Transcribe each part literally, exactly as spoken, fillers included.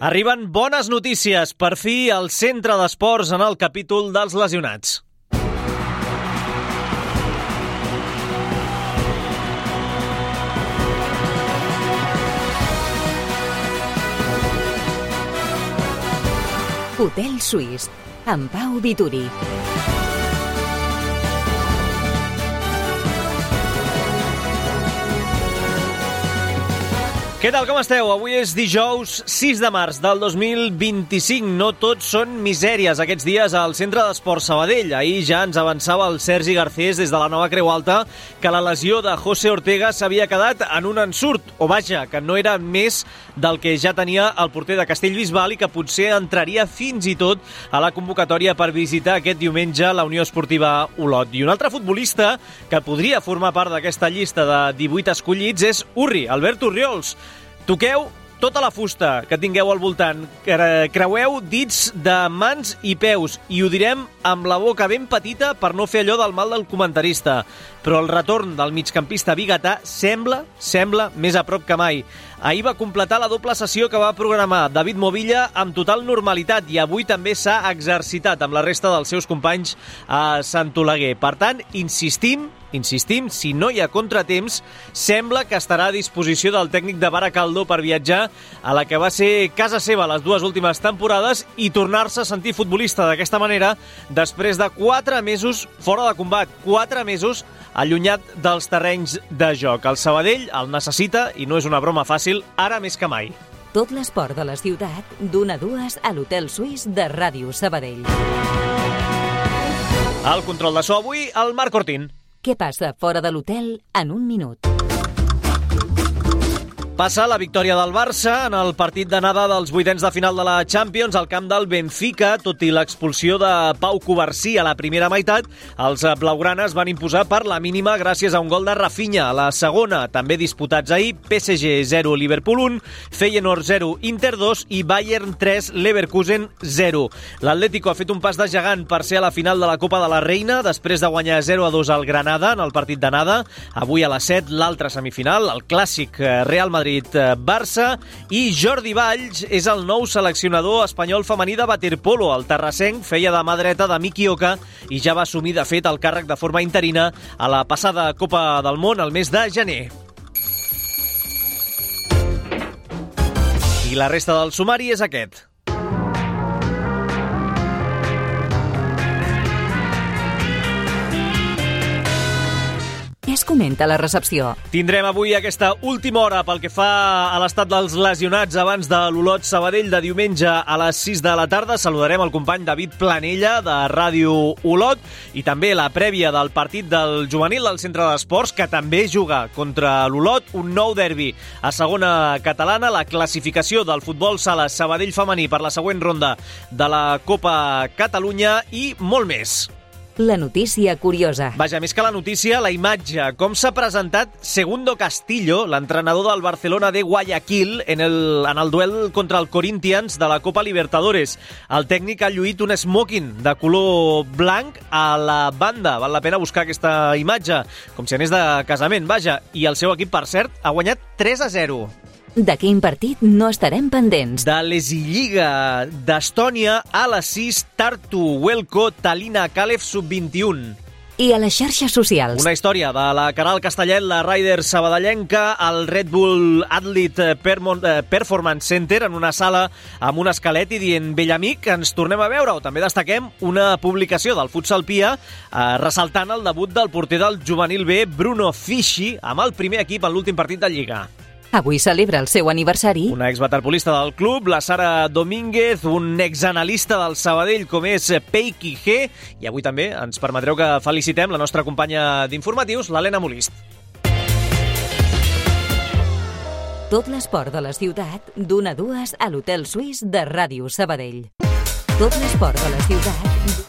Arriben bones notícies. Per fi, al centre d'esports en el capítol dels lesionats. Hotel Suís, amb Pau Vituri. Què tal, com esteu? Avui és dijous sis de març del dos mil vint-i-cinc. No tots són misèries aquests dies al Centre d'Esports Sabadell. Ahir ja ens avançava el Sergi Garcés des de la Nova Creu Alta que la lesió de José Ortega s'havia quedat en un ensurt, o vaja, que no era més del que ja tenia el porter de Castellbisbal i que potser entraria fins i tot a la convocatòria per visitar aquest diumenge la Unió Esportiva Olot. I un altre futbolista que podria formar part d'aquesta llista de divuit escollits és Urri, Albert Orriols. Toqueu tota la fusta que tingueu al voltant, creueu dits de mans i peus i ho direm amb la boca ben petita per no fer allò del mal del comentarista. Però el retorn del migcampista biguetà sembla, sembla més a prop que mai. Ahir va completar la doble sessió que va programar David Movilla amb total normalitat i avui també s'ha exercitat amb la resta dels seus companys a Sant Oleguer. Per tant, insistim, insistim, si no hi ha contratemps, sembla que estarà a disposició del tècnic de Baracaldo per viatjar a la que va ser casa seva les dues últimes temporades i tornar-se a sentir futbolista d'aquesta manera després de quatre mesos fora de combat, quatre mesos allunyat dels terrenys de joc. El Sabadell el necessita i no és una broma fàcil, ara més que mai. Tot l'esport de la ciutat, d'una a dues a l'Hotel Suís de Ràdio Sabadell. Al control de so avui, el Marc Ortín. Què passa fora de l'hotel en un minut? Passa la victòria del Barça en el partit d'anada dels vuitens de final de la Champions al camp del Benfica. Tot i l'expulsió de Pau Covarsí a la primera meitat, els blaugranes van imposar per la mínima gràcies a un gol de Rafinha. A la segona, també disputats ahir, P S G zero, Liverpool un, Feyenoord zero, Inter dos i Bayern tres, Leverkusen zero. L'Atlético ha fet un pas de gegant per ser a la final de la Copa de la Reina després de guanyar zero a dos al Granada en el partit d'anada. Avui a les set, l'altra semifinal, el clàssic Real Madrid Barça, i Jordi Valls és el nou seleccionador espanyol femení de waterpolo. El terrassenc feia de mà dreta de Miki Oka i ja va assumir de fet el càrrec de forma interina a la passada Copa del Món el mes de gener. I la resta del sumari és aquest. Què es comenta a la recepció? Tindrem avui aquesta última hora pel que fa a l'estat dels lesionats abans de l'Olot Sabadell de diumenge a les sis de la tarda. Saludarem el company David Planella de Ràdio Olot i també la prèvia del partit del juvenil del Centre d'Esports que també juga contra l'Olot, un nou derbi a segona catalana, la classificació del futbol sala Sabadell femení per la següent ronda de la Copa Catalunya i molt més. La notícia curiosa. Vaja, més que la notícia, la imatge. Com s'ha presentat Segundo Castillo, l'entrenador del Barcelona de Guayaquil, en el, en el duel contra el Corinthians de la Copa Libertadores. El tècnic ha lluït un smoking de color blanc a la banda. Val la pena buscar aquesta imatge, com si anés de casament, vaja. I el seu equip, per cert, ha guanyat tres a zero. De quin partit no estarem pendents? De l'Esilliga d'Estònia a les sis, Tartu, Huelco, Talina, Calef, sub vint-i-un. I a les xarxes socials. Una història de la Caral Castellet, la Rider sabadellenca, al Red Bull Athlete Performance Center, en una sala amb un esquelet i dient vell amic, ens tornem a veure. O també destaquem una publicació del Futsal Pia eh, ressaltant el debut del porter del juvenil B, Bruno Fischi, amb el primer equip en l'últim partit de Lliga. Avui celebra el seu aniversari. Una exwaterpolista del club, la Sara Domínguez, un exanalista del Sabadell com és Peiki G, i avui també ens permetreu que felicitem la nostra companya d'informatius, l'Helena Molist. Tot l'esport de la ciutat, d'una a dues a l'Hotel Suís de Ràdio Sabadell. Tot l'esport de la ciutat...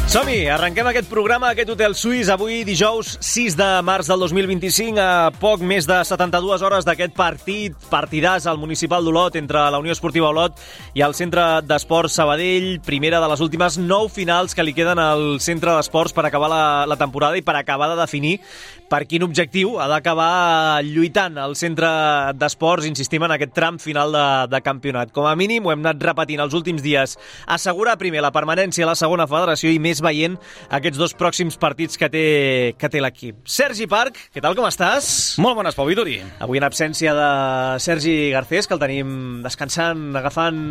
Som-hi, arrenquem aquest programa, aquest Hotel Suís, avui dijous sis de març del dos mil vint-i-cinc, a poc més de setanta-dues hores d'aquest partit, partidàs al Municipal d'Olot entre la Unió Esportiva Olot i el Centre d'Esports Sabadell, primera de les últimes nou finals que li queden al Centre d'Esports per acabar la, la temporada i per acabar de definir per quin objectiu ha d'acabar lluitant el Centre d'Esports, insistim en aquest tram final de, de campionat. Com a mínim, ho hem anat repetint els últims dies, assegurar primer la permanència a la segona federació i més veient aquests dos pròxims partits que té, que té l'equip. Sergi Parc, què tal, com estàs? Molt bones, Pau Vituri. Avui en absència de Sergi Garcés, que el tenim descansant, agafant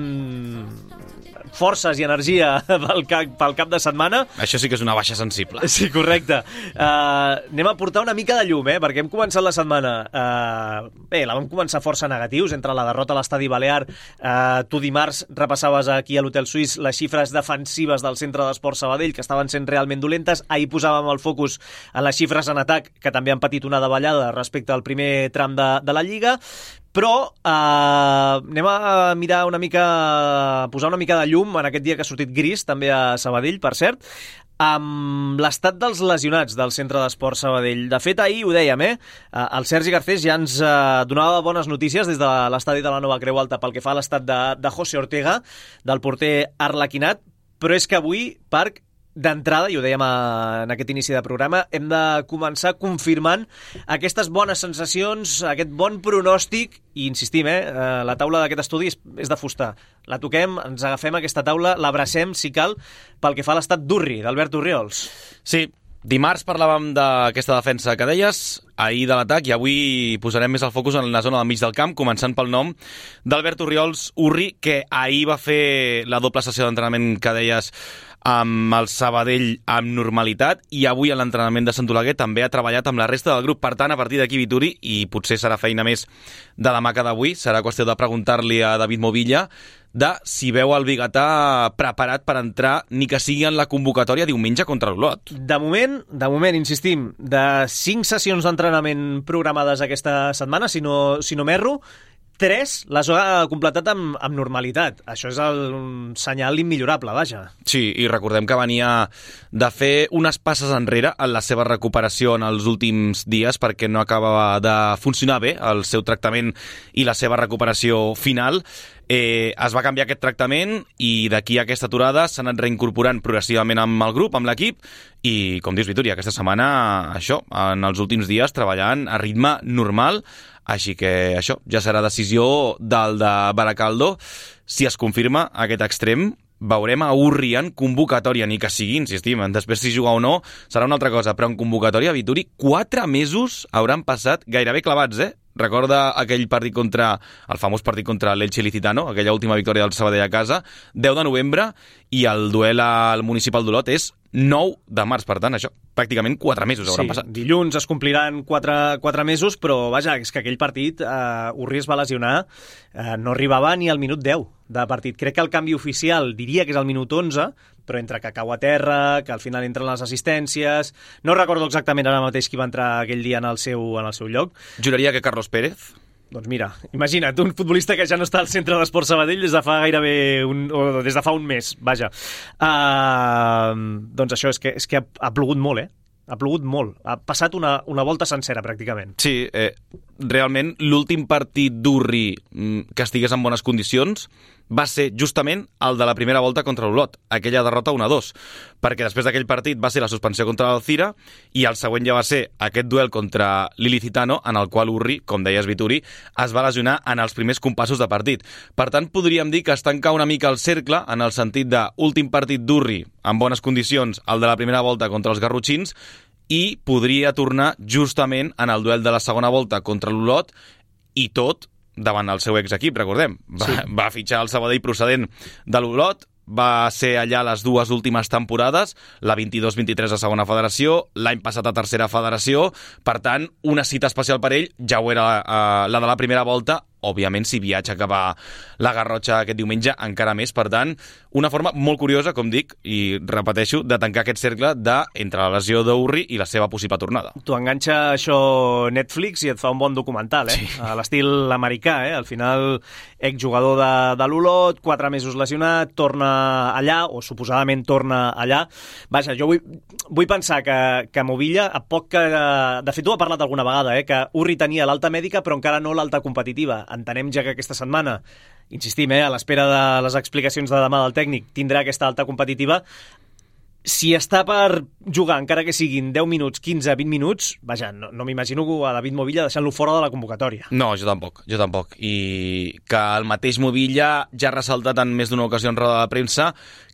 forces i energia pel cap, pel cap de setmana. Això sí que és una baixa sensible. Sí, correcte. Uh, anem a portar una mica de llum, eh? Perquè hem començat la setmana... Uh, bé, la vam començar força negatius, entre la derrota a l'Estadi Balear. Uh, tu dimarts repassaves aquí a l'Hotel Suís les xifres defensives del Centre d'Esports Sabadell, que estaven sent realment dolentes. Ahir posàvem el focus en les xifres en atac, que també han patit una davallada respecte al primer tram de, de la Lliga. Però eh, anem a mirar una mica, posar una mica de llum en aquest dia que ha sortit gris, també a Sabadell, per cert, amb l'estat dels lesionats del Centre d'Esports Sabadell. De fet, ahir ho dèiem, eh? El Sergi Garcés ja ens eh, donava bones notícies des de l'estadi de la Nova Creu Alta pel que fa a l'estat de, de José Ortega, del porter arlequinat, però és que avui, Parc, d'entrada, i ho dèiem en aquest inici de programa, hem de començar confirmant aquestes bones sensacions, aquest bon pronòstic, i insistim, eh, la taula d'aquest estudi és, és de fusta. La toquem, ens agafem aquesta taula, l'abracem, si cal, pel que fa a l'estat d'Urri, d'Albert Orriols. Sí, dimarts parlàvem d'aquesta defensa que deies, ahir de l'atac, i avui posarem més el focus en la zona del mig del camp, començant pel nom d'Albert Orriols Urri, que ahir va fer la doble sessió d'entrenament que deies amb el Sabadell amb normalitat, i avui a l'entrenament de Sant Oleguer també ha treballat amb la resta del grup. Per tant, a partir d'aquí, Vituri, i potser serà feina més de demà que d'avui, serà qüestió de preguntar-li a David Movilla de si veu el biguetà preparat per entrar, ni que sigui en la convocatòria diumenge contra l'Olot. De moment, de moment, insistim, de cinc sessions d'entrenament programades aquesta setmana, si no, si no m'erro, tres les ha completat amb, amb normalitat. Això és el, un senyal immillorable, vaja. Sí, i recordem que venia de fer unes passes enrere en la seva recuperació en els últims dies perquè no acabava de funcionar bé el seu tractament i la seva recuperació final. Eh, es va canviar aquest tractament i d'aquí a aquesta aturada s'ha anat reincorporant progressivament amb el grup, amb l'equip, i, com dius, Vitúria, aquesta setmana, això, en els últims dies, treballant a ritme normal. Així que això ja serà decisió del de Baracaldo. Si es confirma aquest extrem, veurem a Urri en convocatòria, ni que sigui, insistim, després si juga o no serà una altra cosa, però en convocatòria, Vituri, quatre mesos hauran passat gairebé clavats, eh? Recorda aquell partit contra, el famós partit contra l'Elche Ilicitano, aquella última victòria del Sabadell a casa, deu de novembre, i el duel al Municipal d'Olot és nou de març, per tant, això, pràcticament quatre mesos hauran sí, passat. Dilluns es compliran quatre, quatre mesos, però vaja, és que aquell partit, eh, Urri es va lesionar, eh, no arribava ni al minut deu de partit. Crec que el canvi oficial diria que és al minut onze, però entre que cau a terra, que al final entren les assistències... No recordo exactament ara mateix qui va entrar aquell dia en el seu, en el seu lloc. Juraria que Carlos Pérez... Doncs mira, imagina't, un futbolista que ja no està al Centre d'Esports Sabadell des de fa gairebé un, o des de fa un mes, vaja. Uh, doncs això, és que, és que ha, ha plogut molt, eh? Ha plogut molt. Ha passat una, una volta sencera, pràcticament. Sí, eh, realment l'últim partit d'Urri que estigués en bones condicions va ser justament el de la primera volta contra l'Olot, aquella derrota un a dos, perquè després d'aquell partit va ser la suspensió contra l'Alcira i el següent ja va ser aquest duel contra l'Ilicitano, en el qual Urri, com deies, Vituri, es va lesionar en els primers compassos de partit. Per tant, podríem dir que es tanca una mica el cercle en el sentit de últim partit d'Urri en bones condicions, el de la primera volta contra els garrotxins, i podria tornar justament en el duel de la segona volta contra l'Olot, i tot davant el seu exequip, recordem. Va, sí. va fitxar el Sabadell procedent de l'Olot, va ser allà les dues últimes temporades, la vint-i-dos vint-i-tres a segona federació, l'any passat a tercera federació, per tant, una cita especial per ell ja ho era eh, la de la primera volta, òbviament, si viatja cap a la Garrotxa aquest diumenge, encara més. Per tant, una forma molt curiosa, com dic, i repeteixo, de tancar aquest cercle de, entre la lesió d'Urri i la seva possible tornada. T'ho enganxa això Netflix i et fa un bon documental, eh? Sí. A l'estil americà, eh? Al final, exjugador de, de l'Olot, quatre mesos lesionat, torna allà, o suposadament torna allà. Vaja, jo vull, vull pensar que, que Movilla, a poc que... De fet, ho ha parlat alguna vegada, eh? Que Urri tenia l'alta mèdica, però encara no l'alta competitiva. Entenem ja que aquesta setmana, insistim, eh? A l'espera de les explicacions de demà del tècnic, tindrà aquesta alta competitiva. Si està per jugar, encara que siguin deu minuts, quinze, vint minuts, vaja, no, no m'imagino a David Movilla deixant-lo fora de la convocatòria. No, jo tampoc, jo tampoc. I que el mateix Movilla ja ha ressaltat en més d'una ocasió en roda de premsa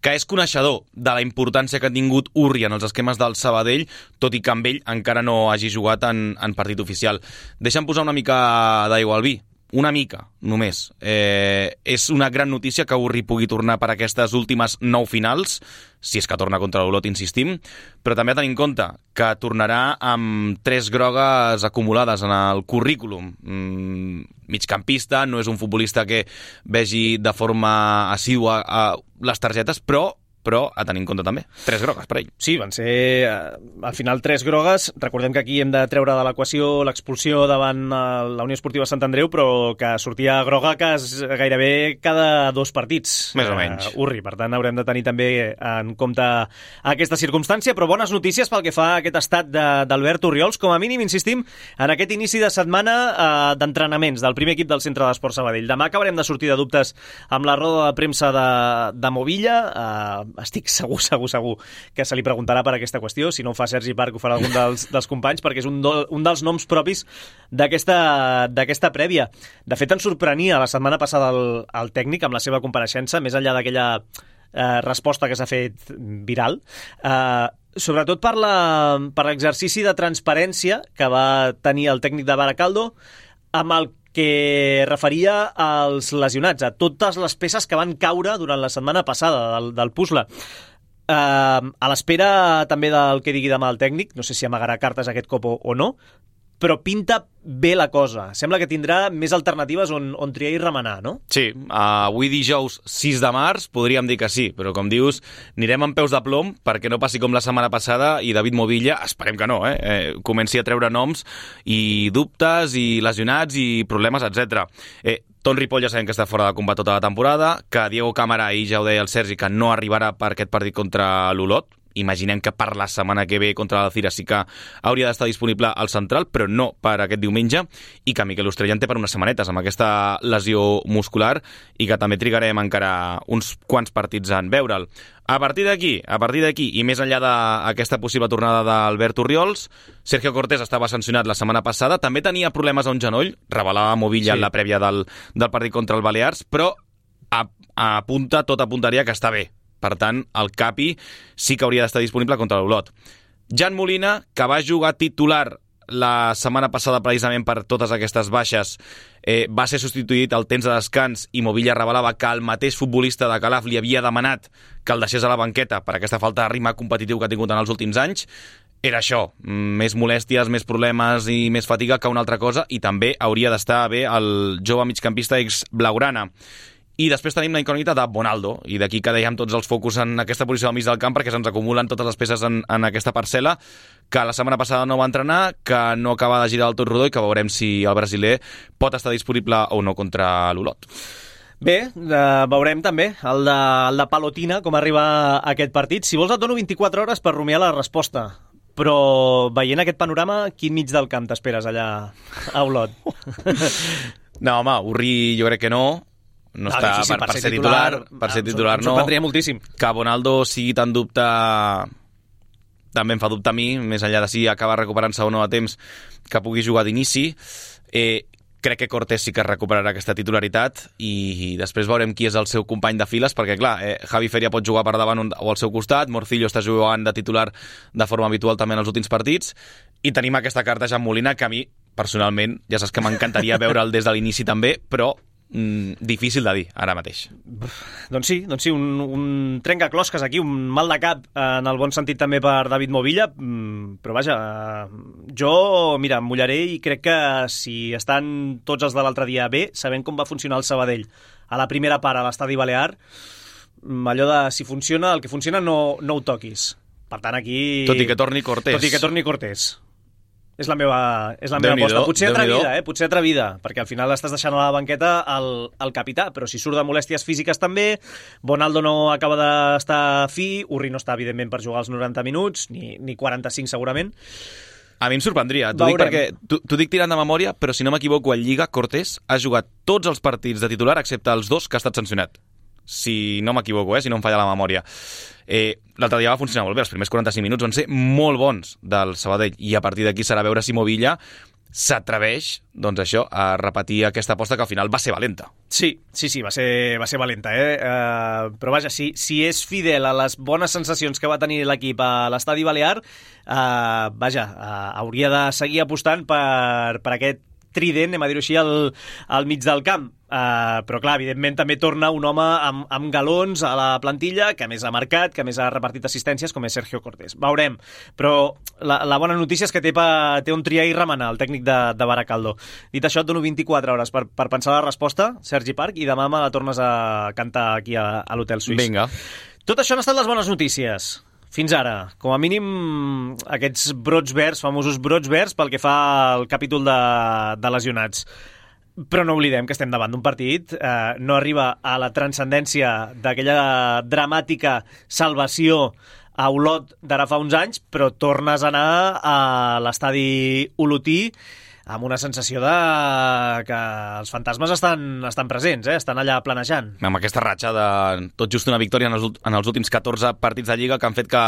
que és coneixedor de la importància que ha tingut Urri en els esquemes del Sabadell, tot i que amb ell encara no hagi jugat en, en partit oficial. Deixa'm posar una mica d'aigua al vi. Una mica, només. Eh, és una gran notícia que Urri pugui tornar per aquestes últimes nou finals, si és que torna contra l'Olot, insistim, però també a tenir en compte que tornarà amb tres grogues acumulades en el currículum. Mm, migcampista, no és un futbolista que vegi de forma assídua a les targetes, però però a tenir en compte també. Tres grogues per ell. Sí, van ser, eh, al final, tres grogues. Recordem que aquí hem de treure de l'equació l'expulsió davant eh, la Unió Esportiva Sant Andreu, però que sortia groga que és gairebé cada dos partits. Més o menys. Eh, Urri, per tant, haurem de tenir també en compte aquesta circumstància, però bones notícies pel que fa a aquest estat d'Albert Orriols. Com a mínim, insistim, en aquest inici de setmana eh, d'entrenaments del primer equip del Centre d'Esports Sabadell. Demà acabarem de sortir de dubtes amb la roda de premsa de, de Movilla. Eh, estic segur, segur, segur que se li preguntarà per aquesta qüestió. Si no ho fa Sergi Parc, ho farà algun dels, dels companys, perquè és un, do, un dels noms propis d'aquesta d'aquesta prèvia. De fet, ens sorprenia la setmana passada el, el tècnic amb la seva compareixença, més enllà d'aquella eh, resposta que s'ha fet viral, eh, sobretot per la, per l'exercici de transparència que va tenir el tècnic de Baracaldo amb el que referia als lesionats, a totes les peces que van caure durant la setmana passada del, del puzzle. Uh, a l'espera també del que digui demà el tècnic, no sé si amagarà cartes aquest cop o, o no, però pinta bé la cosa. Sembla que tindrà més alternatives on, on triar i remenar, no? Sí, uh, avui dijous sis de març podríem dir que sí, però com dius, anirem amb peus de plom perquè no passi com la setmana passada i David Movilla, esperem que no, eh, eh comenci a treure noms i dubtes i lesionats i problemes, etcètera. Eh, Ton Ripoll ja sabem que està fora de combat tota la temporada, que Diego Cámara, i ja ho deia el Sergi, que no arribarà per aquest partit contra l'Olot. Imaginem que per la setmana que ve contra l'Alcira sí que hauria d'estar disponible al central, però no per aquest diumenge, i que Miquel Ostrellán té per unes setmanetes amb aquesta lesió muscular i que també trigarem encara uns quants partits en veure'l. A partir d'aquí, a partir d'aquí i més enllà d'aquesta possible tornada d'Albert Orriols, Sergio Cortés estava sancionat la setmana passada, també tenia problemes a un genoll, revelava Movilla sí. en la prèvia del, del partit contra el Balears, però a, a apunta, tot apuntaria que està bé. Per tant, el Capi sí que hauria d'estar disponible contra l'Olot. Jan Molina, que va jugar titular la setmana passada precisament per totes aquestes baixes, eh, va ser substituït al temps de descans i Movilla revelava que el mateix futbolista de Calaf li havia demanat que el deixés a la banqueta per aquesta falta de ritme competitiu que ha tingut en els últims anys. Era això, més molèsties, més problemes i més fatiga que una altra cosa, i també hauria d'estar bé el jove migcampista ex-blaugrana. I després tenim la incògnita de Bonaldo, i d'aquí que dèiem tots els focus en aquesta posició al mig del camp perquè se'ns acumulen totes les peces en, en aquesta parcel·la, que la setmana passada no va entrenar, que no acaba de girar del tot rodó i que veurem si el brasiler pot estar disponible o no contra l'Olot. Bé, eh, veurem també el de, el de Palotina, com arriba a aquest partit. Si vols et dono vint-i-quatre hores per rumiar la resposta, però veient aquest panorama, quin mig del camp t'esperes allà a Olot? No, home, Urri jo crec que no. No, no està per, per, per ser titular, titular per ser titular no. Em sorprendria moltíssim. Que Bonaldo sigui tan dubte també em fa dubte a mi, més enllà de si acaba recuperant-se o no a temps, que pugui jugar d'inici. Eh, crec que Cortés sí que recuperarà aquesta titularitat i, i després veurem qui és el seu company de files, perquè clar, eh, Javi Feria pot jugar per davant o al seu costat, Morcillo està jugant de titular de forma habitual també en els últims partits, i tenim aquesta carta Jan Molina que a mi, personalment, ja saps que m'encantaria veure'l des de l'inici també, però mm, difícil de dir ara mateix. Doncs sí, doncs sí, un, un trencaclosques aquí, un mal de cap en el bon sentit també per David Movilla, però vaja, jo, mira, em mullaré i crec que si estan tots els de l'altre dia bé, sabent com va funcionar el Sabadell a la primera part a l'Estadi Balear, allò de si funciona, el que funciona no, no ho toquis. Per tant, aquí... Tot i que torni Cortés. Tot i que torni Cortés. És la meva, és la meva aposta. Potser atrevida, eh? Potser atrevida, perquè al final estàs deixant a la banqueta el, el capità, però si surt de molèsties físiques també, Bonaldo no acaba d'estar fi, Urri no està, evidentment, per jugar els noranta minuts, ni, ni quaranta-cinc segurament. A mi em sorprendria, t'ho dic perquè t'ho dic tirant de memòria, però si no m'equivoco, en Lliga Cortés ha jugat tots els partits de titular excepte els dos que ha estat sancionat. Si no m'equivoco, eh? Si no em falla la memòria. Eh, L'altre dia va funcionar molt bé, els primers quaranta-cinc minuts van ser molt bons del Sabadell, i a partir d'aquí serà veure si Movilla s'atreveix, doncs això, a repetir aquesta aposta que al final va ser valenta. Sí, sí, sí, va ser, va ser valenta, eh? Uh, però vaja, si, si és fidel a les bones sensacions que va tenir l'equip a l'Estadi Balear, uh, vaja, uh, hauria de seguir apostant per, per aquest trident, anem a dir-ho així, al, al mig del camp. Uh, però clar, evidentment també torna un home amb, amb galons a la plantilla, que més ha marcat, que més ha repartit assistències, com és Sergio Cortés. Veurem, però la, la bona notícia és que té, pa, té un triar i remenar, el tècnic de, de Baracaldo. Dit això, et dono vint-i-quatre hores per, per pensar la resposta, Sergi Parc, i demà me la tornes a cantar aquí a, a l'Hotel Suís. Vinga. Tot això han estat les bones notícies. Fins ara, com a mínim, aquests brots verds, famosos brots verds, pel que fa al capítol de, de lesionats. Però no oblidem que estem davant d'un partit, eh, no arriba a la transcendència d'aquella dramàtica salvació a Olot d'ara fa uns anys, però tornes a anar a l'estadi olotí amb una sensació de que els fantasmes estan, estan presents, eh? Estan allà planejant. Amb aquesta ratxa de tot just una victòria en els, en els últims catorze partits de Lliga que han fet que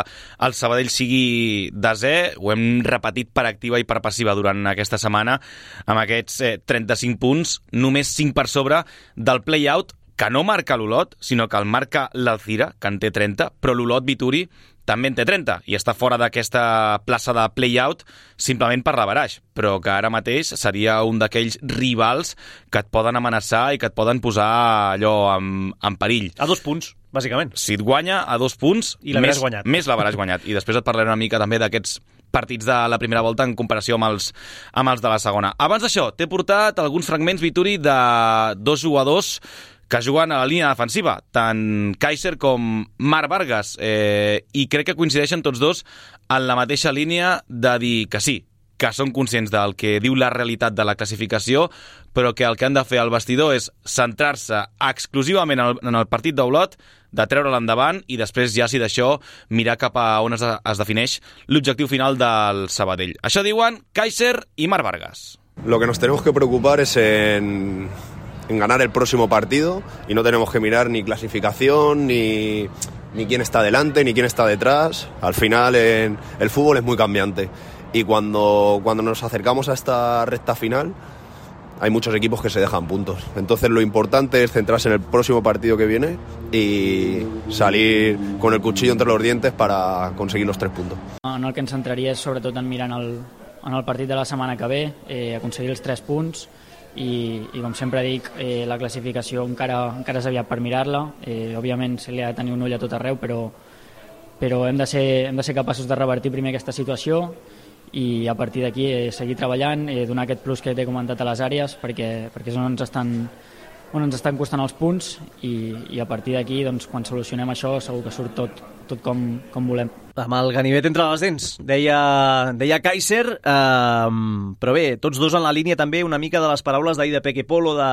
el Sabadell sigui desè, ho hem repetit per activa i per passiva durant aquesta setmana, amb aquests eh, trenta-cinc punts, només cinc per sobre del play-out, que no marca l'Olot, sinó que el marca l'Alcira, que en té trenta, però l'Olot Vituri també en té trenta i està fora d'aquesta plaça de play-out simplement per l'averaix, però que ara mateix seria un d'aquells rivals que et poden amenaçar i que et poden posar allò en, en perill. A dos punts, bàsicament. Si et guanya a dos punts, I l'haveràs més, guanyat. més l'haveràs guanyat. I després et parlaré una mica també d'aquests partits de la primera volta en comparació amb els, amb els de la segona. Abans d'això, t'he portat alguns fragments, Vituri, de dos jugadors que juguen a la línia defensiva, tant Kaiser com Marc Vargas, eh, i crec que coincideixen tots dos en la mateixa línia de dir que sí, que són conscients del que diu la realitat de la classificació, però que el que han de fer al vestidor és centrar-se exclusivament en el partit d'Olot, de treure-lo endavant i després ja, si d'això, mirar cap a on es, es defineix l'objectiu final del Sabadell. Això diuen Kaiser i Marc Vargas. Lo que nos tenemos que preocupar es en... en ganar el próximo partido y no tenemos que mirar ni clasificación ni, ni quién está delante ni quién está detrás. Al final en, el fútbol es muy cambiante y cuando, cuando nos acercamos a esta recta final hay muchos equipos que se dejan puntos. Entonces lo importante es centrarse en el próximo partido que viene y salir con el cuchillo entre los dientes para conseguir los tres puntos. En el que ens centraria és sobretot en mirar en el, en el partit de la setmana que ve, eh, aconseguir els tres punts. I, i com sempre dic, eh, la classificació encara, encara és aviat per mirar-la, eh, òbviament se li ha de tenir un ull a tot arreu, però, però hem, de ser, hem de ser capaços de revertir primer aquesta situació i a partir d'aquí eh, seguir treballant, eh, donar aquest plus que t'he comentat a les àrees, perquè, perquè és on ens estan, on ens estan costant els punts i, i a partir d'aquí, doncs, quan solucionem això, segur que surt tot, tot com, com volem. Amb el ganivet entre les dents, deia, deia Kaiser, eh, però bé, tots dos en la línia també una mica de les paraules d'ahir de Peque Polo, de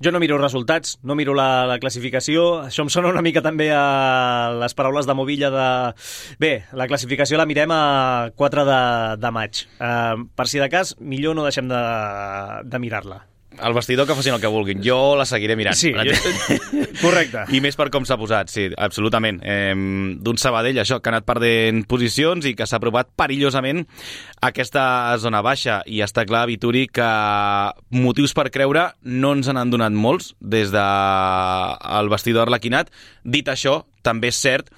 jo no miro resultats, no miro la, la classificació, això em sona una mica també a les paraules de Movilla de... Bé, la classificació la mirem a quatre de, de maig, eh, per si de cas, millor no deixem de, de mirar-la. Al vestidor que facin el que vulguin. Jo la seguiré mirant. Sí, correcte. I més per com s'ha posat, sí, absolutament. Eh, d'un Sabadell, això, que ha anat perdent posicions i que s'ha aprovat perillosament aquesta zona baixa. I està clar, Vituri, que motius per creure no ens n'han donat molts des del vestidor arlequinat. Dit això, també és cert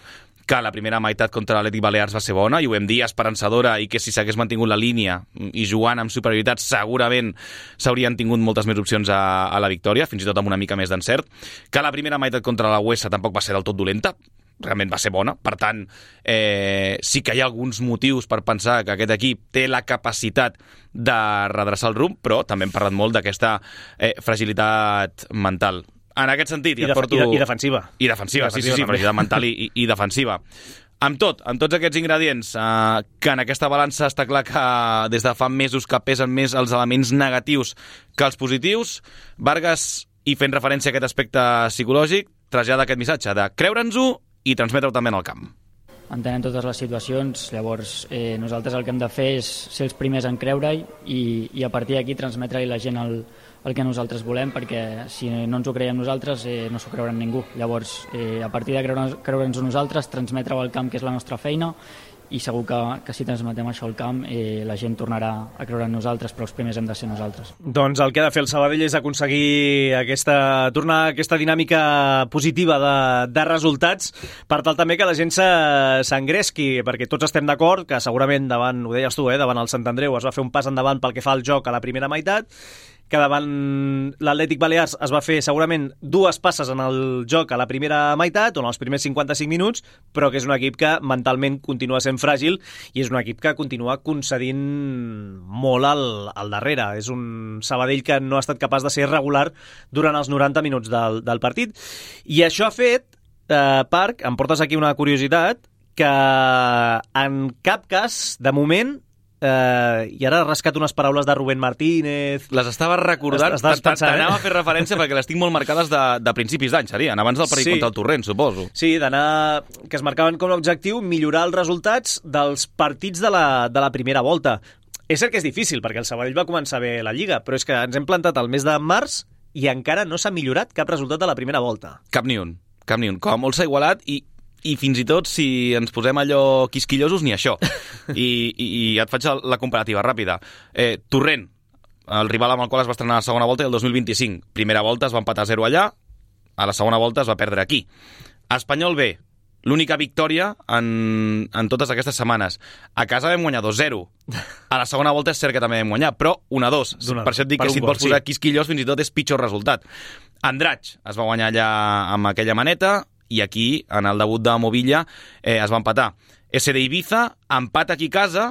que la primera meitat contra l'Atlètic Balears va ser bona, i ho vam dir, esperançadora, i que si s'hagués mantingut la línia i jugant amb superioritat segurament s'haurien tingut moltes més opcions a, a la victòria, fins i tot amb una mica més d'encert, que la primera meitat contra la Huesa tampoc va ser del tot dolenta, realment va ser bona, per tant eh, sí que hi ha alguns motius per pensar que aquest equip té la capacitat de redreçar el rumb, però també hem parlat molt d'aquesta eh, fragilitat mental. En aquest sentit, I, ja et porto... i, de, i defensiva. I defensiva, sí, sí, sí, fragilitat mental i, i, i defensiva. Amb tot, amb tots aquests ingredients, eh, que en aquesta balança està clar que des de fa mesos que pesen més els elements negatius que els positius, Vargas, i fent referència a aquest aspecte psicològic, trasllada aquest missatge de creure'ns-ho i transmetre-ho també en el camp. Entenem totes les situacions, llavors eh, nosaltres el que hem de fer és ser els primers en creure-hi i, i a partir d'aquí transmetre-hi a la gent el, el que nosaltres volem, perquè si no ens ho creiem nosaltres eh, no s'ho creuran ningú. Llavors, eh, a partir de creure, creure'ns-ho nosaltres, transmetre-ho al camp, que és la nostra feina, i segur que, que si transmetem això al camp eh, la gent tornarà a creure en nosaltres, però els primers hem de ser nosaltres. Doncs el que ha de fer el Sabadell és aconseguir aquesta, tornar a aquesta dinàmica positiva de, de resultats, per tal també que la gent s'engresqui, perquè tots estem d'acord que segurament davant, ho deies tu, eh, davant el Sant Andreu es va fer un pas endavant pel que fa al joc a la primera meitat, que davant l'Atlètic Balears es va fer segurament dues passes en el joc a la primera meitat, o en els primers cinquanta-cinc minuts, però que és un equip que mentalment continua sent fràgil i és un equip que continua concedint molt al, al darrere. És un Sabadell que no ha estat capaç de ser regular durant els noranta minuts del, del partit. I això ha fet, eh, Parc, em portes aquí una curiositat, que en cap cas, de moment, Uh, i ara he rascat unes paraules de Rubén Martínez. Les estava recordant, t'anava a fer referència perquè les tinc molt marcades de, de principis d'any, serien, abans del partit sí. contra el Torrent, suposo. Sí, d'anar, que es marcaven com a objectiu millorar els resultats dels partits de la, de la primera volta. És cert que és difícil, perquè el Sabadell va començar bé la Lliga, però és que ens hem plantat al mes de març i encara no s'ha millorat cap resultat de la primera volta. Cap ni un, cap ni un. Com a molt s'ha igualat i i fins i tot si ens posem allò quisquillosos ni això. I, i, i et faig la comparativa ràpida. Eh, Torrent, el rival amb el qual es va estrenar a la segona volta, i el dos mil vint-i-cinc. Primera volta es va empatar a zero allà, a la segona volta es va perdre aquí. Espanyol B, l'única victòria en, en totes aquestes setmanes. A casa vam guanyar dos zero. A la segona volta és cert que també vam guanyar, però un a dos. Per això et dic que si et vols posar quisquillós fins i tot és pitjor resultat. Andratx es va guanyar allà amb aquella maneta, i aquí, en el debut de Movilla, eh, es va empatar. S D Ibiza, empat aquí a casa,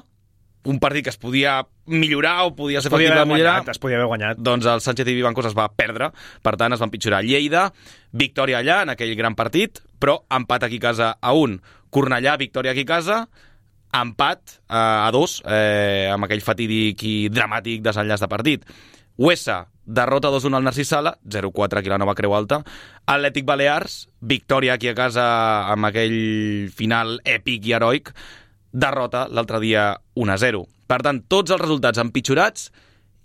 un partit que es podia millorar o podia ser factible de millorar. Guanyat, es podia haver guanyat. Doncs el Sánchez i Vivancos es va perdre, per tant es va empitjorar. Lleida, victòria allà, en aquell gran partit, però empat aquí a casa a un. Cornellà, victòria aquí a casa, empat eh, a dos, eh, amb aquell fatídic i dramàtic desenllaç de partit. Huesa, derrota dos a un al Narcís Sala, zero quatre aquí a la Nova Creu Alta. Atlètic Balears, victòria aquí a casa amb aquell final èpic i heroic. Derrota l'altre dia un a zero. Per tant, tots els resultats empitjorats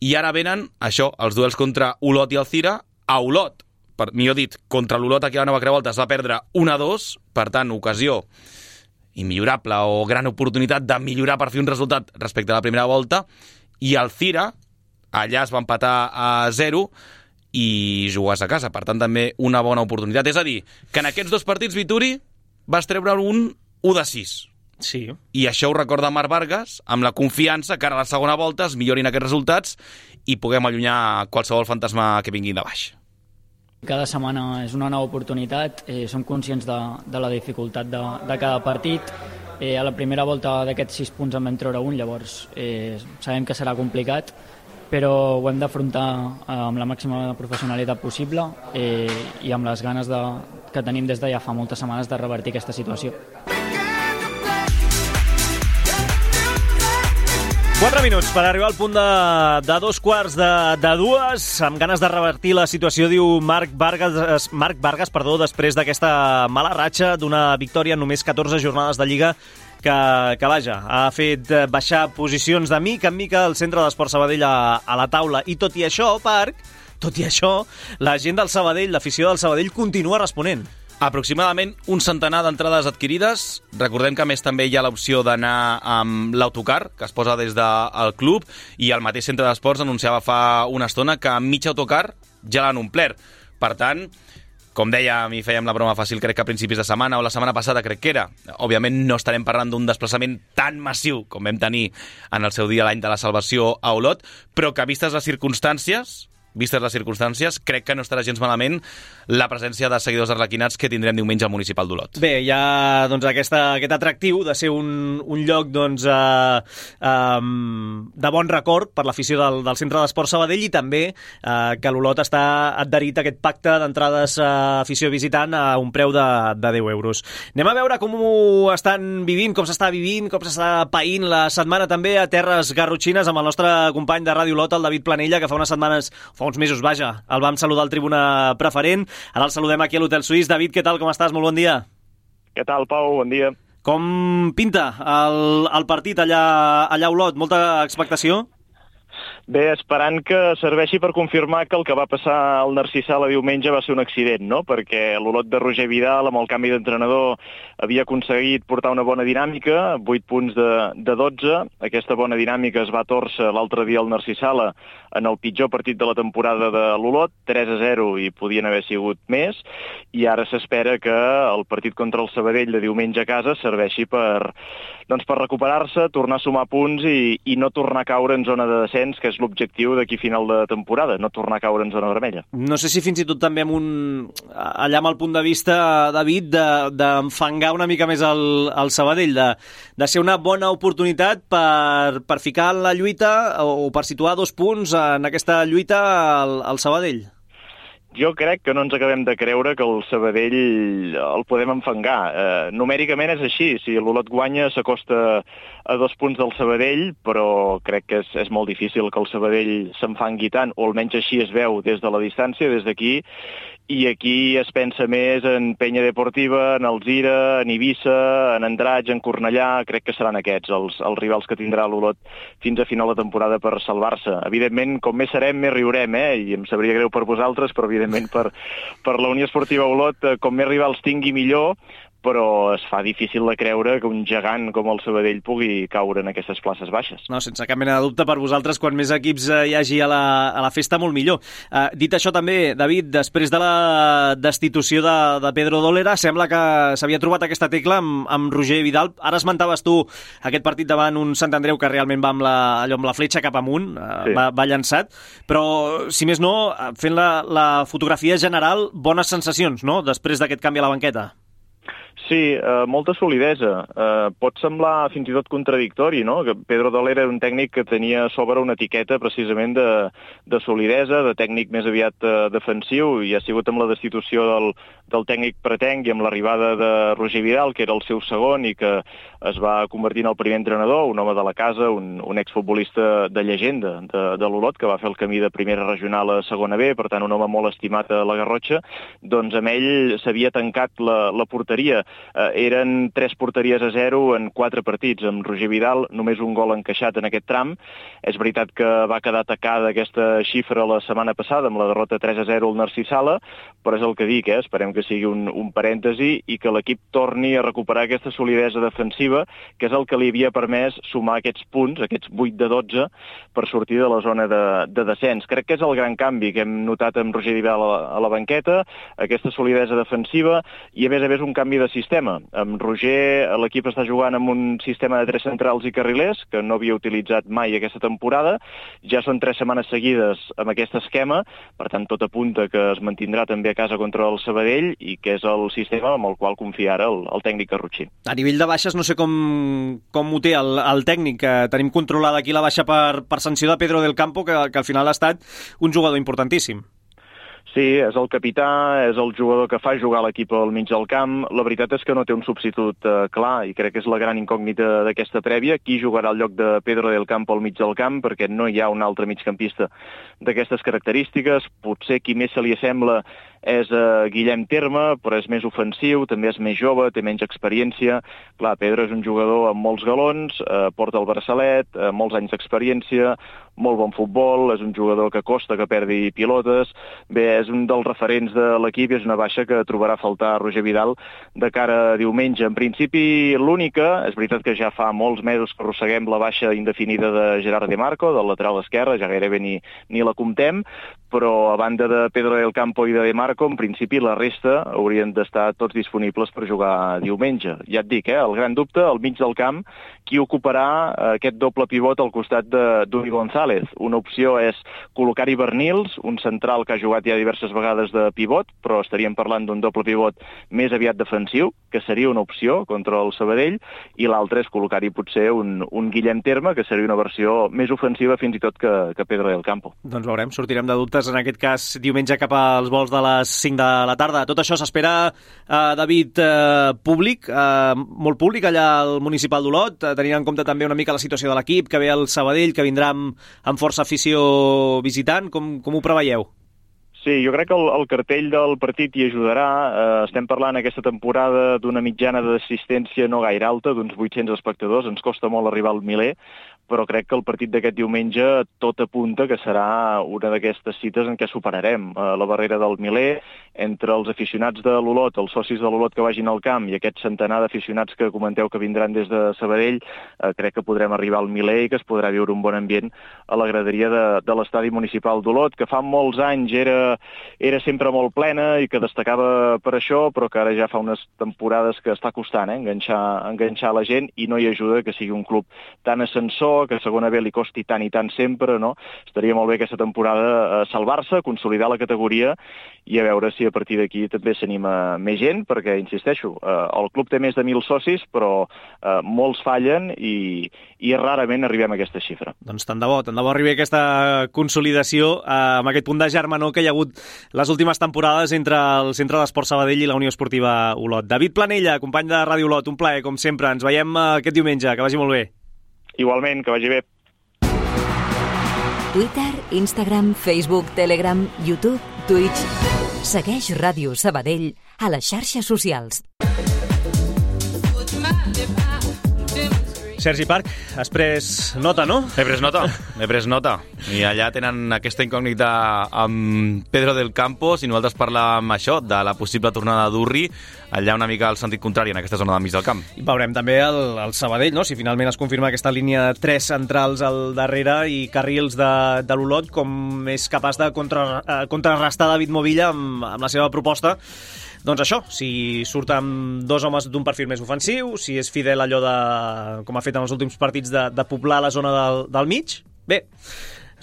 i ara venen, això, els duels contra Olot i Alzira a Olot. Per, millor dit, contra l'Olot aquí a la Nova Creu Alta es va perdre un a dos, per tant, ocasió immillorable o gran oportunitat de millorar per fer un resultat respecte a la primera volta, i Alzira allà es va empatar a zero i jugues a casa, per tant també una bona oportunitat. És a dir, que en aquests dos partits, Vituri, vas treure un u de sis. Sí. I això ho recorda Marc Vargas, amb la confiança que ara a la segona volta es millorin aquests resultats i puguem allunyar qualsevol fantasma que vingui de baix. Cada setmana és una nova oportunitat, eh, som conscients de, de la dificultat de, de cada partit. Eh, a la primera volta d'aquests sis punts en vam treure un, llavors eh, sabem que serà complicat, però ho hem d'afrontar amb la màxima professionalitat possible eh, i amb les ganes de, que tenim des de ja fa moltes setmanes de revertir aquesta situació. Quatre minuts per arribar al punt de, de dos quarts de, de dues, amb ganes de revertir la situació, diu Marc Vargas, Marc Vargas perdó, després d'aquesta mala ratxa d'una victòria en només catorze jornades de Lliga, que, que vaja, ha fet baixar posicions de mica en mica el Centre d'Esport Sabadell a, a la taula. I tot i això, Parc, tot i això, la gent del Sabadell, l'afició del Sabadell continua responent. Aproximadament un centenar d'entrades adquirides. Recordem que a més també hi ha l'opció d'anar amb l'autocar, que es posa des del club, i el mateix Centre d'Esports anunciava fa una estona que amb mig autocar ja l'han omplert. Per tant, Com dèiem i fèiem la broma fàcil, crec que a principis de setmana o la setmana passada crec que era. Òbviament no estarem parlant d'un desplaçament tan massiu com vam tenir en el seu dia l'any de la salvació a Olot, però que vistes les circumstàncies, vistes les circumstàncies, crec que no estarà gens malament la presència de seguidors arlequinats que tindrem diumenge al municipal d'Olot. Bé, hi ha doncs, aquesta, aquest atractiu de ser un, un lloc doncs, eh, eh, de bon record per l'afició del, del Centre d'Esport Sabadell i també eh, que l'Olot està adherit a aquest pacte d'entrades a afició visitant a un preu de, de deu euros. Anem a veure com ho estan vivint, com s'està vivint, com s'està païnt la setmana també a Terres Garrotxines amb el nostre company de Ràdio Olot, el David Planella, que fa unes setmanes fa uns mesos, vaja, el vam saludar al Tribuna Preferent. Ara el saludem aquí a l'Hotel Suís. David, què tal, com estàs? Molt bon dia. Què tal, Pau? Bon dia. Com pinta el, el partit allà, allà a Olot? Molta expectació? Bé, esperant que serveixi per confirmar que el que va passar al Narcís Sala diumenge va ser un accident, no? Perquè l'Olot de Roger Vidal, amb el canvi d'entrenador, havia aconseguit portar una bona dinàmica, vuit punts de, de dotze. Aquesta bona dinàmica es va tòrcer l'altre dia al Narcís Sala en el pitjor partit de la temporada de l'Olot, tres a zero, i podien haver sigut més, i ara s'espera que el partit contra el Sabadell de diumenge a casa serveixi per, doncs, per recuperar-se, tornar a sumar punts i, i no tornar a caure en zona de descens, que és l'objectiu d'aquí final de temporada, no tornar a caure en zona vermella. No sé si fins i tot també amb un, allà amb el punt de vista, David, d'enfangar de, una mica més el, el Sabadell, de, de ser una bona oportunitat per, per ficar en la lluita o, o per situar dos punts en aquesta lluita al, al Sabadell. Jo crec que no ens acabem de creure que el Sabadell el podem enfangar. Eh, numèricament és així, si l'Olot guanya s'acosta a dos punts del Sabadell, però crec que és, és molt difícil que el Sabadell s'enfangui tant, o almenys així es veu des de la distància, des d'aquí, i aquí es pensa més en Penya Deportiva, en Alzira, en Eivissa, en Andratx, en Cornellà. Crec que seran aquests els, els rivals que tindrà l'Olot fins a final de temporada per salvar-se. Evidentment, com més serem, més riurem, eh? I em sabria greu per vosaltres, però evidentment per, per la Unió Esportiva Olot, com més rivals tingui millor, però es fa difícil de creure que un gegant com el Sabadell pugui caure en aquestes places baixes. No, sense cap mena de dubte per vosaltres, quan més equips hi hagi a la, a la festa, molt millor. Uh, dit això també, David, després de la destitució de, de Pedro Dólera, sembla que s'havia trobat aquesta tecla amb, amb Roger Vidal. Ara esmentaves tu aquest partit davant un Sant Andreu que realment va amb la, allò amb la fletxa cap amunt, uh, sí. va, va llançat, però, si més no, fent la, la fotografia general, bones sensacions, no?, després d'aquest canvi a la banqueta. Sí, eh, molta solidesa. Eh, pot semblar fins i tot contradictori, no?, que Pedro Dólera era un tècnic que tenia a sobre una etiqueta precisament de, de solidesa, de tècnic més aviat eh, defensiu, i ha sigut amb la destitució del, del tècnic pretenc i amb l'arribada de Roger Vidal, que era el seu segon i que es va convertir en el primer entrenador, un home de la casa, un, un exfutbolista de llegenda de, de l'Olot, que va fer el camí de primera regional a segona B, per tant un home molt estimat a la Garrotxa. Doncs amb ell s'havia tancat la, la porteria. Eh, eren tres porteries a zero en quatre partits. Amb Roger Vidal només un gol encaixat en aquest tram. És veritat que va quedar atacada aquesta xifra la setmana passada amb la derrota tres a zero al Narcís Sala, però és el que dic, eh? Esperem que sigui un, un parèntesi i que l'equip torni a recuperar aquesta solidesa defensiva, que és el que li havia permès sumar aquests punts, aquests vuit de dotze, per sortir de la zona de, de descens. Crec que és el gran canvi que hem notat amb Roger Vidal a la, a la banqueta, aquesta solidesa defensiva i, a més a més, un canvi de sistema. Amb Roger l'equip està jugant amb un sistema de tres centrals i carrilers, que no havia utilitzat mai aquesta temporada. Ja són tres setmanes seguides amb aquest esquema, per tant tot apunta que es mantindrà també a casa contra el Sabadell i que és el sistema amb el qual confia ara el, el tècnic garrotxí. A nivell de baixes no sé com, com ho té el, el tècnic, que tenim controlada aquí la baixa per, per sanció de Pedro del Campo, que, que al final ha estat un jugador importantíssim. Sí, és el capità, és el jugador que fa jugar l'equip al mig del camp. La veritat és que no té un substitut eh, clar i crec que és la gran incògnita d'aquesta prèvia. Qui jugarà al lloc de Pedro del Campo al mig del camp? Perquè no hi ha un altre migcampista d'aquestes característiques. Potser qui més se li assembla és eh, Guillem Terme, però és més ofensiu, també és més jove, té menys experiència. Clar, Pedro és un jugador amb molts galons, eh, porta el braçalet, eh, molts anys d'experiència, molt bon futbol, és un jugador que costa que perdi pilotes. Bé, és un dels referents de l'equip i és una baixa que trobarà a faltar Roger Vidal de cara a diumenge. En principi, l'única, és veritat que ja fa molts mesos que arrosseguem la baixa indefinida de Gerard De Marco, del lateral esquerre, ja gairebé ni, ni la comptem, però a banda de Pedro del Campo i de De Marco, Marco, en principi la resta haurien d'estar tots disponibles per jugar diumenge. Ja et dic, eh, el gran dubte, al mig del camp, qui ocuparà aquest doble pivot al costat d'Uri González. Una opció és col·locar-hi Bernils, un central que ha jugat ja diverses vegades de pivot, però estaríem parlant d'un doble pivot més aviat defensiu, que seria una opció contra el Sabadell, i l'altre és col·locar-hi potser un, un Guillem Terme, que seria una versió més ofensiva fins i tot que, que Pedro del Campo. Doncs veurem, sortirem de dubtes en aquest cas diumenge cap als vols de les cinc de la tarda. Tot això s'espera, eh, David, eh, públic, eh, molt públic allà al municipal d'Olot, eh, tenint en compte també una mica la situació de l'equip, que ve el Sabadell, que vindrà amb, amb força afició visitant. Com, com ho preveieu? Sí, jo crec que el, el cartell del partit hi ajudarà. Eh, estem parlant aquesta temporada d'una mitjana d'assistència no gaire alta, d'uns vuit-cents espectadors. Ens costa molt arribar al miler, però crec que el partit d'aquest diumenge tot apunta que serà una d'aquestes cites en què superarem eh, la barrera del miler. Entre els aficionats de l'Olot, els socis de l'Olot que vagin al camp i aquest centenar d'aficionats que comenteu que vindran des de Sabadell, eh, crec que podrem arribar al miler i que es podrà viure un bon ambient a la graderia de, de l'estadi municipal d'Olot, que fa molts anys era, era sempre molt plena i que destacava per això, però que ara ja fa unes temporades que està costant eh, enganxar, enganxar la gent, i no hi ajuda que sigui un club tan ascensor, que a segona B li costi tant i tant sempre, no? Estaria molt bé aquesta temporada eh, salvar-se, consolidar la categoria i a veure si a partir d'aquí també s'anima més gent, perquè, insisteixo, eh, el club té més de mil socis, però eh, molts fallen i, i rarament arribem a aquesta xifra. Doncs tant de bo, tant de bo arribi aquesta consolidació eh, amb aquest punt de germanor que hi ha hagut les últimes temporades entre el Centre d'Esport Sabadell i la Unió Esportiva Olot. David Planella, company de Ràdio Olot, un plaer, com sempre. Ens veiem eh, aquest diumenge, que vagi molt bé. Igualment, que vagi bé. Twitter, Instagram, Facebook, Telegram, YouTube, Twitch. Segueix Ràdio Sabadell a les xarxes socials. Sergi Parc, has pres nota, no? He pres nota, he pres nota. I allà tenen aquesta incògnita amb Pedro del Campo, si nosaltres parlàvem això, de la possible tornada d'Urri, allà una mica al sentit contrari, en aquesta zona del mig del camp. I veurem també el, el Sabadell, no? Si finalment es confirma aquesta línia de tres centrals al darrere i carrils de, de l'Olot, com és capaç de contra, eh, contrarrestar David Movilla amb, amb la seva proposta. Doncs això, si surt amb dos homes d'un perfil més ofensiu, si és fidel allò de, com ha fet en els últims partits, de, de poblar la zona del, del mig, bé,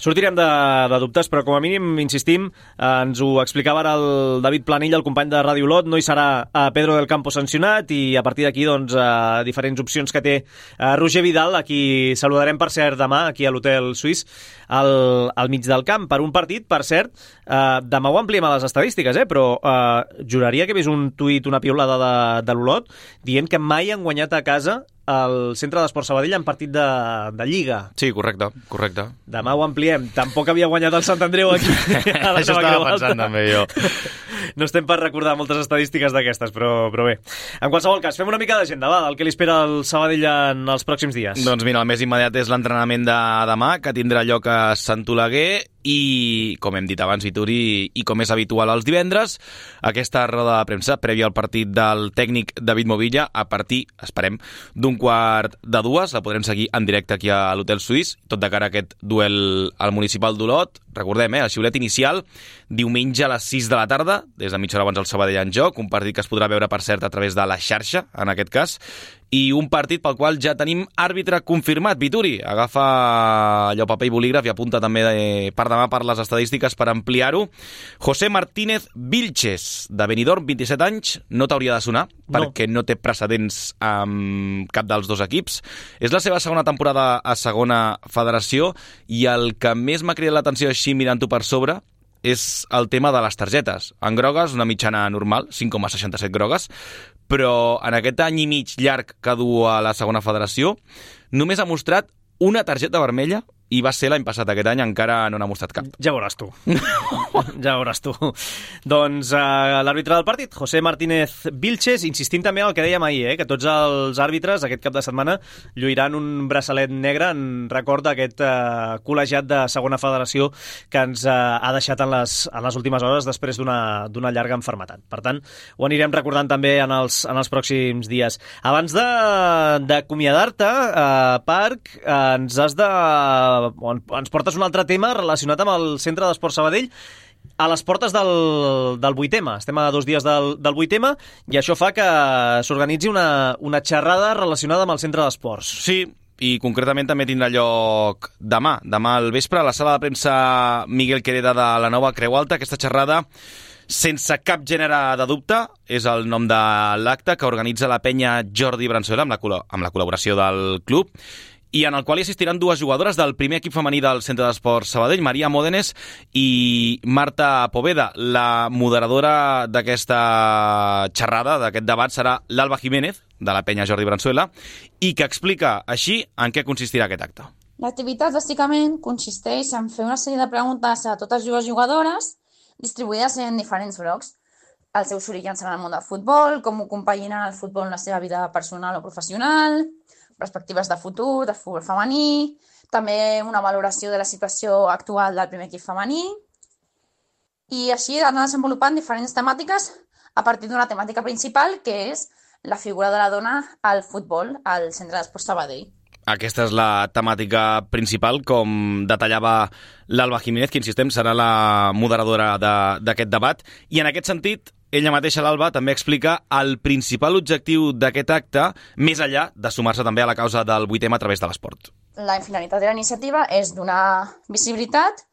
sortirem de, de dubtes, però com a mínim, insistim, eh, ens ho explicava ara el David Planella, el company de Ràdio Olot, no hi serà a Pedro del Campo sancionat, i a partir d'aquí, doncs, eh, diferents opcions que té eh, Roger Vidal, a qui saludarem, per cert, demà, aquí a l'Hotel Suís, al, al mig del camp, per un partit, per cert, eh, demà ho ampliem a les estadístiques, eh, però eh, juraria que he vist un tuit, una piulada de, de l'Olot, dient que mai han guanyat a casa al Centre d'Esport Sabadell en partit de, de Lliga. Sí, correcte, correcte. Demà ho ampliem. Tampoc havia guanyat el Sant Andreu aquí. A la Això estava pensant també jo. No estem per recordar moltes estadístiques d'aquestes, però, però bé. En qualsevol cas, fem una mica d'agenda, va, del que li espera el Sabadell en els pròxims dies. Doncs mira, el més immediat és l'entrenament de demà, que tindrà lloc a Sant Oleguer, i, com hem dit abans, Vituri, i com és habitual els divendres, aquesta roda de premsa prèvia al partit del tècnic David Movilla, a partir, esperem, d'un quart de dues. La podrem seguir en directe aquí a l'Hotel Suís, tot de cara a aquest duel al municipal d'Olot. Recordem, eh, el xiulet inicial, diumenge a les sis de la tarda, des de mitja hora abans el Sabadell en joc, un partit que es podrà veure, per cert, a través de la xarxa, en aquest cas, i un partit pel qual ja tenim àrbitre confirmat. Vituri, agafa allò paper i bolígraf i apunta també de, per demà per les estadístiques per ampliar-ho. José Martínez Vilches, de Benidorm, vint-i-set anys, no t'hauria de sonar, no, perquè no té precedents amb cap dels dos equips. És la seva segona temporada a segona federació, i el que més m'ha cridat l'atenció així mirant-ho per sobre és el tema de les targetes. En grogues, una mitjana normal, cinc coma seixanta-set grogues, però en aquest any i mig llarg que du a la segona federació només ha mostrat una targeta vermella, i va ser l'any passat. Aquest any encara no n'ha mostrat cap. Ja veuràs tu. Ja veuràs tu. Doncs uh, l'àrbitre del partit, José Martínez Vilches, insistint també en el que dèiem ahir, eh, que tots els àrbitres aquest cap de setmana lluiran un braçalet negre en record d'aquest uh, col·legiat de segona federació que ens uh, ha deixat en les, en les últimes hores després d'una d'una llarga enfermetat. Per tant, ho anirem recordant també en els, en els pròxims dies. Abans d'acomiadar-te, uh, Parc, uh, ens has de... ens portes un altre tema relacionat amb el Centre d'Esport Sabadell. a les portes del, del vuitema. Estem a dos dies del, del vuitema i això fa que s'organitzi una, una xerrada relacionada amb el centre d'esports. Sí, i concretament també tindrà lloc demà, demà al vespre, a la sala de premsa Miguel Quereda de la nova Creu Alta. Aquesta xerrada, sense cap gènere de dubte, és el nom de l'acte que organitza la penya Jordi Branzuela amb la, amb la col·laboració del club, i en el qual hi assistiran dues jugadores del primer equip femení del Centre d'Esports Sabadell, Maria Módenes i Marta Poveda. La moderadora d'aquesta xerrada, d'aquest debat, serà l'Alba Jiménez, de la penya Jordi Branzuela, i que explica així en què consistirà aquest acte. L'activitat, bàsicament, consisteix en fer una sèrie de preguntes a totes dues jugadores, distribuïdes en diferents blocs. Els seus orígens en el món del futbol, com ho compaginen el futbol en la seva vida personal o professional, perspectives de futur, de futbol femení, també una valoració de la situació actual del primer equip femení, i així anar desenvolupant diferents temàtiques a partir d'una temàtica principal, que és la figura de la dona al futbol al Centre d'Esports Sabadell. Aquesta és la temàtica principal, com detallava l'Alba Jiménez, que, insistem, serà la moderadora d'aquest de, debat. I en aquest sentit, ella mateixa, l'Alba, també explica el principal objectiu d'aquest acte, més enllà de sumar-se també a la causa del vuitema a través de l'esport. La finalitat de la iniciativa és donar visibilitat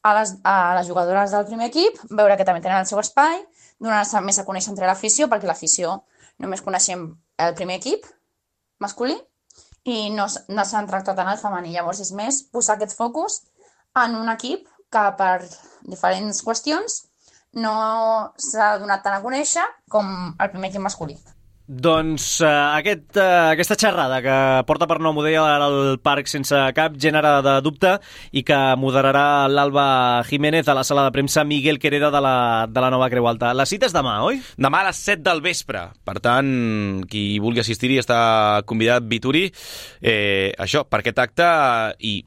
a les, a les jugadores del primer equip, veure que també tenen el seu espai, donar-se més a conèixer entre l'afició, perquè l'afició només coneixem el primer equip masculí, i no, no s'han tractat en el femení. Llavors és més posar aquest focus en un equip que per diferents qüestions no s'ha donat tant a conèixer com el primer equip masculí. Doncs uh, aquest, uh, aquesta xerrada que porta per nom, ho deia al Parc sense cap gènere de dubte, i que moderarà l'Alba Jiménez a la sala de premsa Miguel Quereda de la, de la nova Creu Alta. La cita és demà, oi? Demà a les set del vespre. Per tant, qui vulgui assistir-hi està convidat, Vituri, eh, això, per aquest acte, i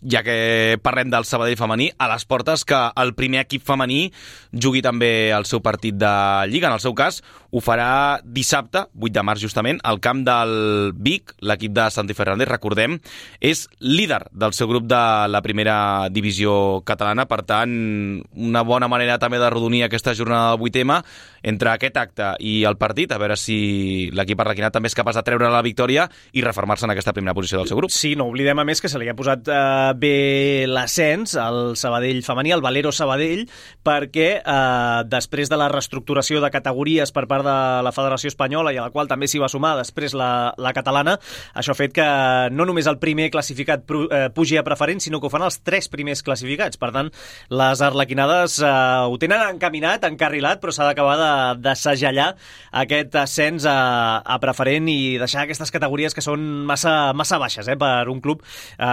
ja que parlem del Sabadell femení, a les portes que el primer equip femení jugui també el seu partit de Lliga. En el seu cas, ho farà dissabte, vuit de març justament, al camp del Vic. L'equip de Santi Fernández, recordem, és líder del seu grup de la primera divisió catalana. Per tant, una bona manera també de rodonir aquesta jornada del vuitema entre aquest acte i el partit, a veure si l'equip arlequinat també és capaç de treure la victòria i refermar-se en aquesta primera posició del seu grup. Sí, no oblidem a més que se li ha posat eh, bé l'ascens al Sabadell femení, al Valero Sabadell, perquè eh, després de la reestructuració de categories per part de la Federació Espanyola, i a la qual també s'hi va sumar després la, la catalana, això ha fet que no només el primer classificat eh, pugi a preferent, sinó que ho fan els tres primers classificats. Per tant, les arlequinades eh, ho tenen encaminat, encarrilat, però s'ha d'acabar de, de segellar aquest ascens a, a preferent i deixar aquestes categories que són massa, massa baixes eh, per un club eh,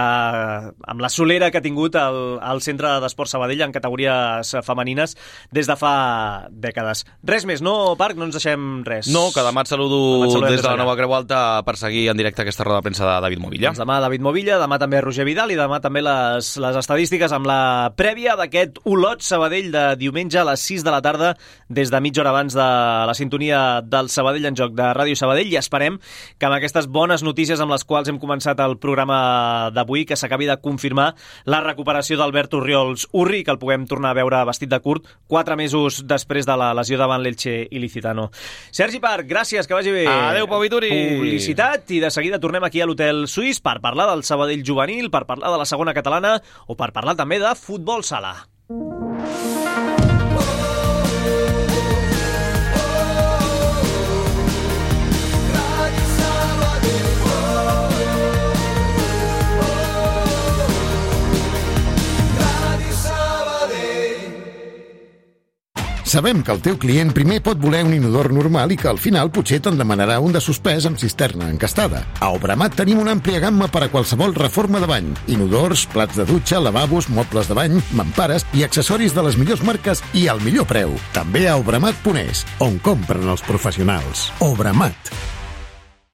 amb la solera que ha tingut el, el Centre d'Esports Sabadell en categories femenines des de fa dècades. Res més, no, Parc? No ens deixem res. No, que demà et saludo des de la nova Creu Alta per seguir en directe aquesta roda de premsa de David Movilla. Doncs demà David Movilla, demà també Roger Vidal i demà també les, les estadístiques amb la prèvia d'aquest Olot Sabadell de diumenge a les sis de la tarda des de mitja hora abans de la sintonia del Sabadell en joc de Ràdio Sabadell, i esperem que amb aquestes bones notícies amb les quals hem començat el programa d'avui, que s'acabi de confirmar la recuperació d'Albert Orriols Urri, que el puguem tornar a veure vestit de curt quatre mesos després de la lesió davant l'Elche Ilicitano. Sergi Parc, gràcies, que vagi bé. Adéu, Pau Vituri. Publicitat, i de seguida tornem aquí a l'Hotel Suís per parlar del Sabadell juvenil, per parlar de la segona catalana o per parlar també de futbol sala. Sabem que el teu client primer pot voler un inodor normal i que al final potser te'n demanarà un de suspès amb cisterna encastada. A Obramat tenim una àmplia gamma per a qualsevol reforma de bany. Inodors, plats de dutxa, lavabos, mobles de bany, mampares i accessoris de les millors marques i al millor preu. També a obramat punt es, on compren els professionals. Obramat.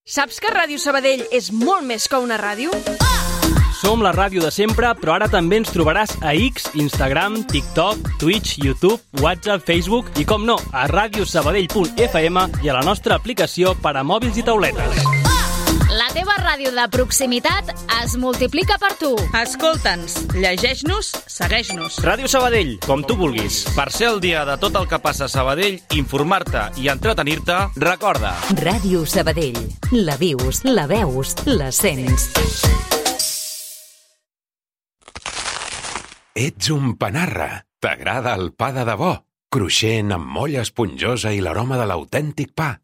Saps que Ràdio Sabadell és molt més que una ràdio? Som la ràdio de sempre, però ara també ens trobaràs a X, Instagram, TikTok, Twitch, YouTube, WhatsApp, Facebook i, com no, a radiosabadell punt f m i a la nostra aplicació per a mòbils i tauletes. La teva ràdio de proximitat es multiplica per tu. Escolta'ns, llegeix-nos, segueix-nos. Ràdio Sabadell, com tu vulguis. Per ser el dia de tot el que passa a Sabadell, informar-te i entretenir-te, recorda. Ràdio Sabadell. La vius, la veus, la sents. Ets un panarra. T'agrada el pa de debò? Cruixent, amb molla esponjosa i l'aroma de l'autèntic pa.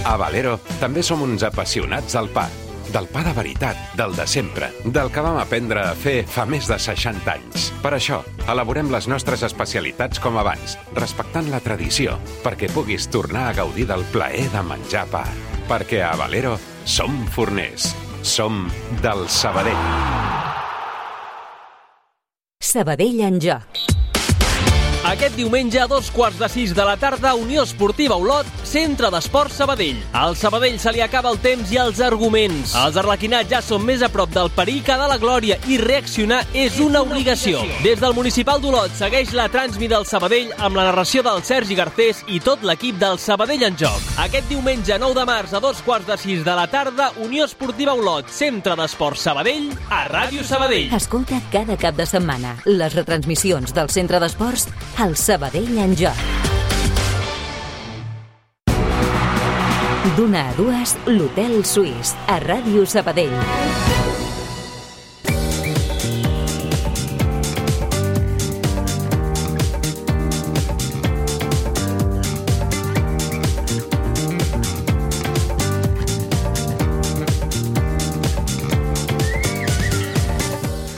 A Valero també som uns apassionats del pa. Del pa de veritat, del de sempre, del que vam aprendre a fer fa més de seixanta anys. Per això, elaborem les nostres especialitats com abans, respectant la tradició, perquè puguis tornar a gaudir del plaer de menjar pa. Perquè a Valero som forners. Som del Sabadell. Sabadell en joc. Aquest diumenge, a dos quarts de sis de la tarda, Unió Esportiva Olot, Centre d'Esports Sabadell. Al Sabadell se li acaba el temps i els arguments. Els arlequinats ja són més a prop del perill que de la glòria i reaccionar és una obligació. Des del Municipal d'Olot segueix la Transmi del Sabadell amb la narració del Sergi Garcés i tot l'equip del Sabadell en joc. Aquest diumenge, nou de març, a dos quarts de sis de la tarda, Unió Esportiva Olot, Centre d'Esports Sabadell, a Ràdio Sabadell. Escolta cada cap de setmana les retransmissions del Centre d'Esports al Sabadell en joc. D'una a dues, l'Hotel Suís, a Ràdio Sabadell.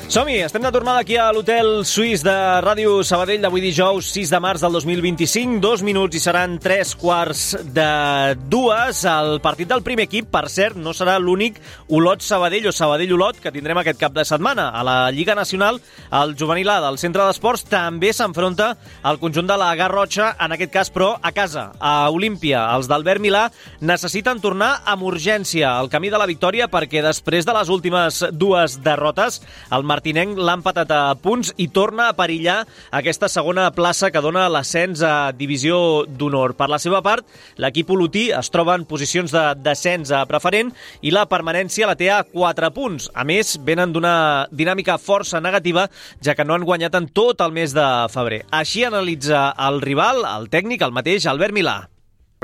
Som-hi, estem de tornada aquí a l'Hotel Suís de Ràdio Sabadell d'avui dijous sis de març del dos mil vint-i-cinc, dos minuts i seran tres quarts de dues. El partit del primer equip, per cert, no serà l'únic Olot-Sabadell o Sabadell-Olot que tindrem aquest cap de setmana. A la Lliga Nacional, el juvenil A del Centre d'Esports també s'enfronta al conjunt de la Garrotxa, en aquest cas, però, a casa, a Olímpia. Els d'Albert Milà necessiten tornar amb urgència al camí de la victòria perquè després de les últimes dues derrotes, el Martinenc l'ha empatat a punts i torna a perillar aquesta segona plaça que dona l'ascens a Divisió d'Honor. Per la seva part, l'equip olotí es troba en posicions de descens a preferent i la permanència la té a quatre punts. A més, venen d'una dinàmica força negativa, ja que no han guanyat en tot el mes de febrer. Així analitza el rival, el tècnic, el mateix Albert Milà.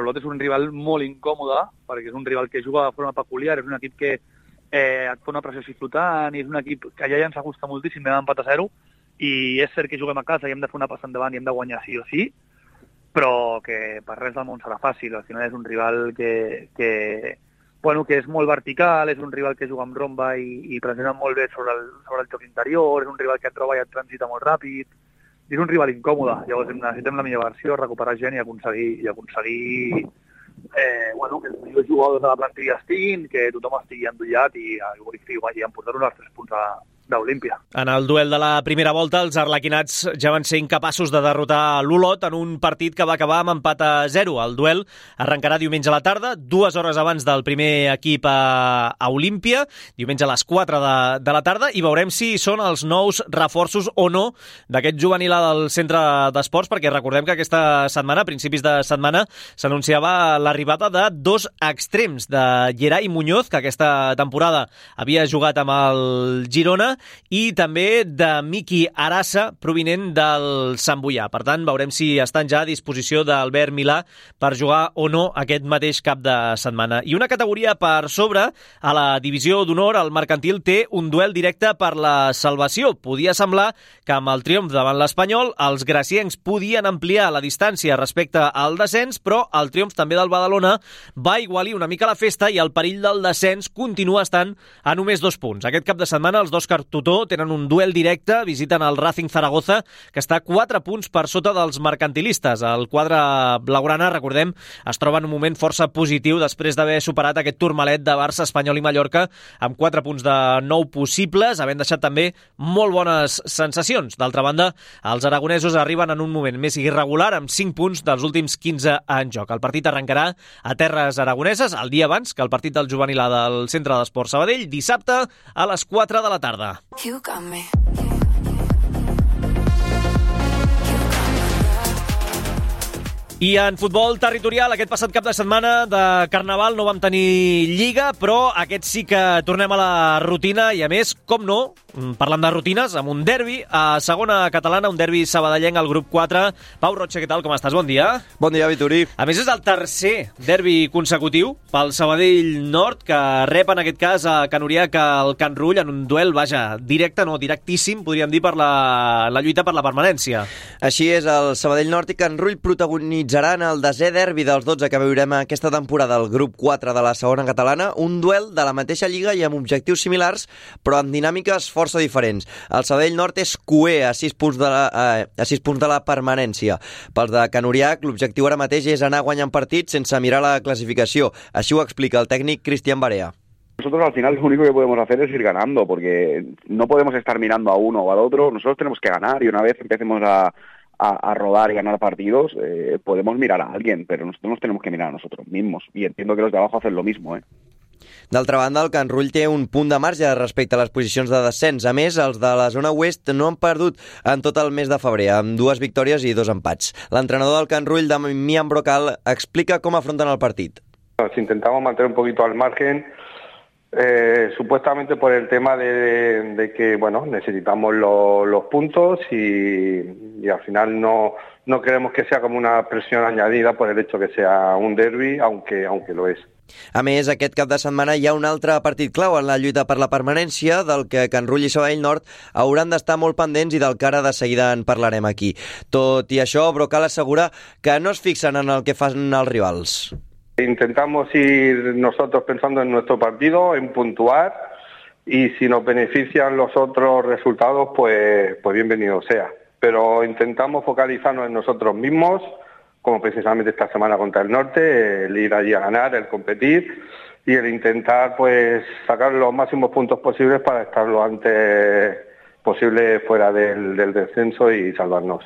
L'Olot és un rival molt incòmode, perquè és un rival que juga de forma peculiar, és un equip que Eh, et fa una pressió així flotant, i és un equip que ja ens ajusta moltíssim, vam empat a zero, i és cert que juguem a casa i hem de fer una passa endavant i hem de guanyar sí o sí, però que per res del món serà fàcil. Al final és un rival que, que, bueno, que és molt vertical, és un rival que juga amb romba i, i pressiona molt bé sobre el, sobre el joc interior, és un rival que et troba i et transita molt ràpid, és un rival incòmode. Llavors necessitem la millor versió, recuperar gent i aconseguir, i aconseguir Eh, bueno, que els millors jugadors de la plantilla estiguin, que tothom estigui endollat i, i, i emportar-nos els tres punts a, d'Olímpia. En el duel de la primera volta, els arlequinats ja van ser incapaços de derrotar l'Olot en un partit que va acabar amb empat a zero. El duel arrencarà diumenge a la tarda, dues hores abans del primer equip a, a Olímpia, diumenge a les quatre de, de la tarda, i veurem si són els nous reforços o no d'aquest juvenil del Centre d'Esports, perquè recordem que aquesta setmana, a principis de setmana, s'anunciava l'arribada de dos extrems, de Gerai Muñoz, que aquesta temporada havia jugat amb el Girona, i també de Miki Arassa, provinent del Sant Boià. Per tant, veurem si estan ja a disposició d'Albert Milà per jugar o no aquest mateix cap de setmana. I una categoria per sobre, a la Divisió d'Honor, el Mercantil té un duel directe per la salvació. Podia semblar que amb el triomf davant l'Espanyol, els graciencs podien ampliar la distància respecte al descens, però el triomf també del Badalona va igualir una mica la festa i el perill del descens continua estant a només dos punts. Aquest cap de setmana els dos Tutó tenen un duel directe, visiten el Racing Zaragoza, que està quatre punts per sota dels mercantilistes. El quadre blaugrana, recordem, es troba en un moment força positiu després d'haver superat aquest turmalet de Barça, Espanyol i Mallorca amb quatre punts de nou possibles, havent deixat també molt bones sensacions. D'altra banda, els aragonesos arriben en un moment més irregular amb cinc punts dels últims quinze en joc. El partit arrencarà a terres aragoneses el dia abans que el partit del juvenil del Centre d'Esports Sabadell, dissabte a les quatre de la tarda. You got me. I en futbol territorial, aquest passat cap de setmana de Carnaval no vam tenir Lliga, però aquest sí que tornem a la rutina i, a més, com no, parlant de rutines, amb un derbi a segona catalana, un derbi sabadellenc al grup quatre. Pau Roche, què tal? Com estàs? Bon dia. Bon dia, Vitorí. A més, és el tercer derbi consecutiu pel Sabadell Nord, que rep en aquest cas a Can Uriac al Can Rull en un duel, vaja, directe, no, directíssim, podríem dir, per la, la lluita per la permanència. Així és, el Sabadell Nord i Can Rull protagonitzaran el desè derbi dels dotze que veurem aquesta temporada al grup quatre de la segona catalana, un duel de la mateixa lliga i amb objectius similars, però amb dinàmiques força diferents. El Sabadell Nord és cuer a sis punts de la, eh, a sis punts de la permanència. Pels de Can Uriac, l'objectiu ara mateix és anar guanyant partits sense mirar la clasificació. Així ho explica el técnico Cristian Barea. Nosotros al final lo único que podemos hacer es ir ganando, porque no podemos estar mirando a uno o al otro. Nosotros tenemos que ganar y una vez empecemos a, a, a rodar y ganar partidos, eh, podemos mirar a alguien, pero nosotros nos tenemos que mirar a nosotros mismos. Y entiendo que los de abajo hacen lo mismo, ¿eh? D'altra banda, el Can Rull té un punt de marge respecte a les posicions de descens. A més, els de la zona oest no han perdut en tot el mes de febrer, amb dues victòries i dos empats. L'entrenador del Can Rull, Damián Brocal, explica com afronten el partit. Nos intentamos mantener un poquito al margen, eh, supuestamente por el tema de, de que bueno, necesitamos lo, los puntos y, y al final no, no queremos que sea como una presión añadida por el hecho que sea un derbi, aunque, aunque lo es. A més, aquest cap de setmana hi ha un altre partit clau en la lluita per la permanència, del que Can Rull i Sabadell Nord hauran d'estar molt pendents i del que ara de seguida en parlarem aquí. Tot i això, Brocal assegura que no es fixen en el que fan els rivals. Intentamos ir nosotros pensando en nuestro partido, en puntuar, y si nos benefician los otros resultados, pues, pues bienvenido sea. Pero intentamos focalizarnos en nosotros mismos, como precisamente esta semana contra el Norte, el ir allí a ganar, el competir y el intentar pues sacar los máximos puntos posibles para estar lo antes posible fuera del, del descenso y salvarnos.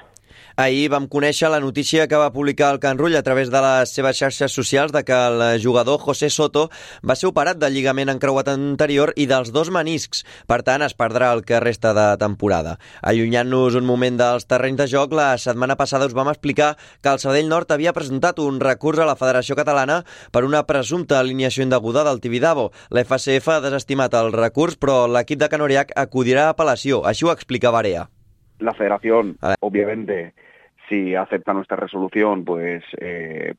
Ahir vam conèixer la notícia que va publicar el Can Rull a través de les seves xarxes socials de que el jugador José Soto va ser operat del lligament encreuat anterior i dels dos meniscs. Per tant, es perdrà el que resta de temporada. Allunyant-nos un moment dels terrenys de joc, la setmana passada us vam explicar que el Sabadell Nord havia presentat un recurs a la Federació Catalana per una presumpta alineació indeguda del Tibidabo. La F C F ha desestimat el recurs, però l'equip de Can Uriac acudirà a apel·lació. Així ho explica Barea. La Federación, obviamente, si acepta nuestra resolución, pues eh,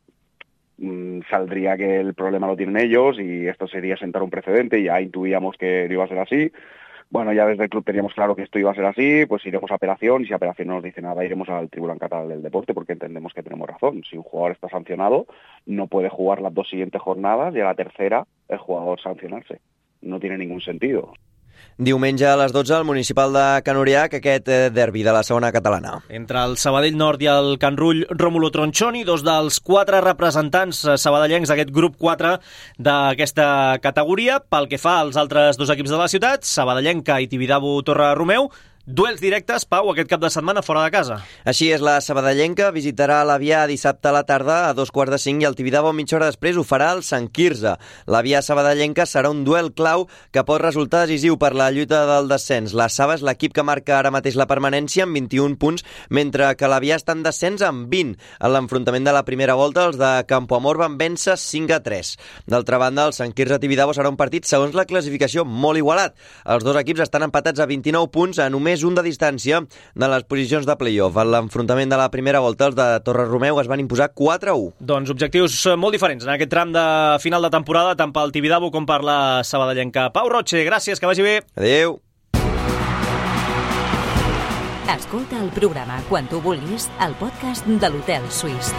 saldría que el problema lo tienen ellos y esto sería sentar un precedente. Ya intuíamos que no iba a ser así. Bueno, ya desde el club teníamos claro que esto iba a ser así, pues iremos a apelación y si apelación no nos dice nada, iremos al Tribunal Catalán del Deporte porque entendemos que tenemos razón. Si un jugador está sancionado, no puede jugar las dos siguientes jornadas y a la tercera el jugador sancionarse. No tiene ningún sentido. Diumenge a les dotze al municipal de Can Uriac, aquest derbi de la segona catalana. Entre el Sabadell Nord i el Can Rull, Rómulo Tronchoni, dos dels quatre representants sabadellencs d'aquest grup quatre d'aquesta categoria. Pel que fa als altres dos equips de la ciutat, Sabadellenca i Tibidabo Torre Romeu, duels directes, Pau, aquest cap de setmana fora de casa. Així és, la sabadellenca visitarà l'Avià dissabte a la tarda a dos quarts de cinc i el Tibidabo mitja hora després ho farà el Sant Quirze. L'Avià sabadellenca serà un duel clau que pot resultar decisiu per la lluita del descens. La Saba és l'equip que marca ara mateix la permanència amb vint-i-un punts, mentre que l'Avià està en descens amb vint. En l'enfrontament de la primera volta, els de Campoamor van vèncer cinc a tres. D'altra banda, el Sant Quirze-Tibidabo serà un partit, segons la classificació, molt igualat. Els dos equips estan empatats a vint-i-nou punts, a només un de distància de les posicions de play-off. En l'enfrontament de la primera volta, els de Torre Romeu es van imposar quatre a u. Doncs objectius molt diferents en aquest tram de final de temporada, tant pel Tibidabo com per la sabadellenca. Pau Roche, gràcies, que vagi bé. Adéu. Escolta el programa quan tu vulguis al podcast de l'Hotel Suís.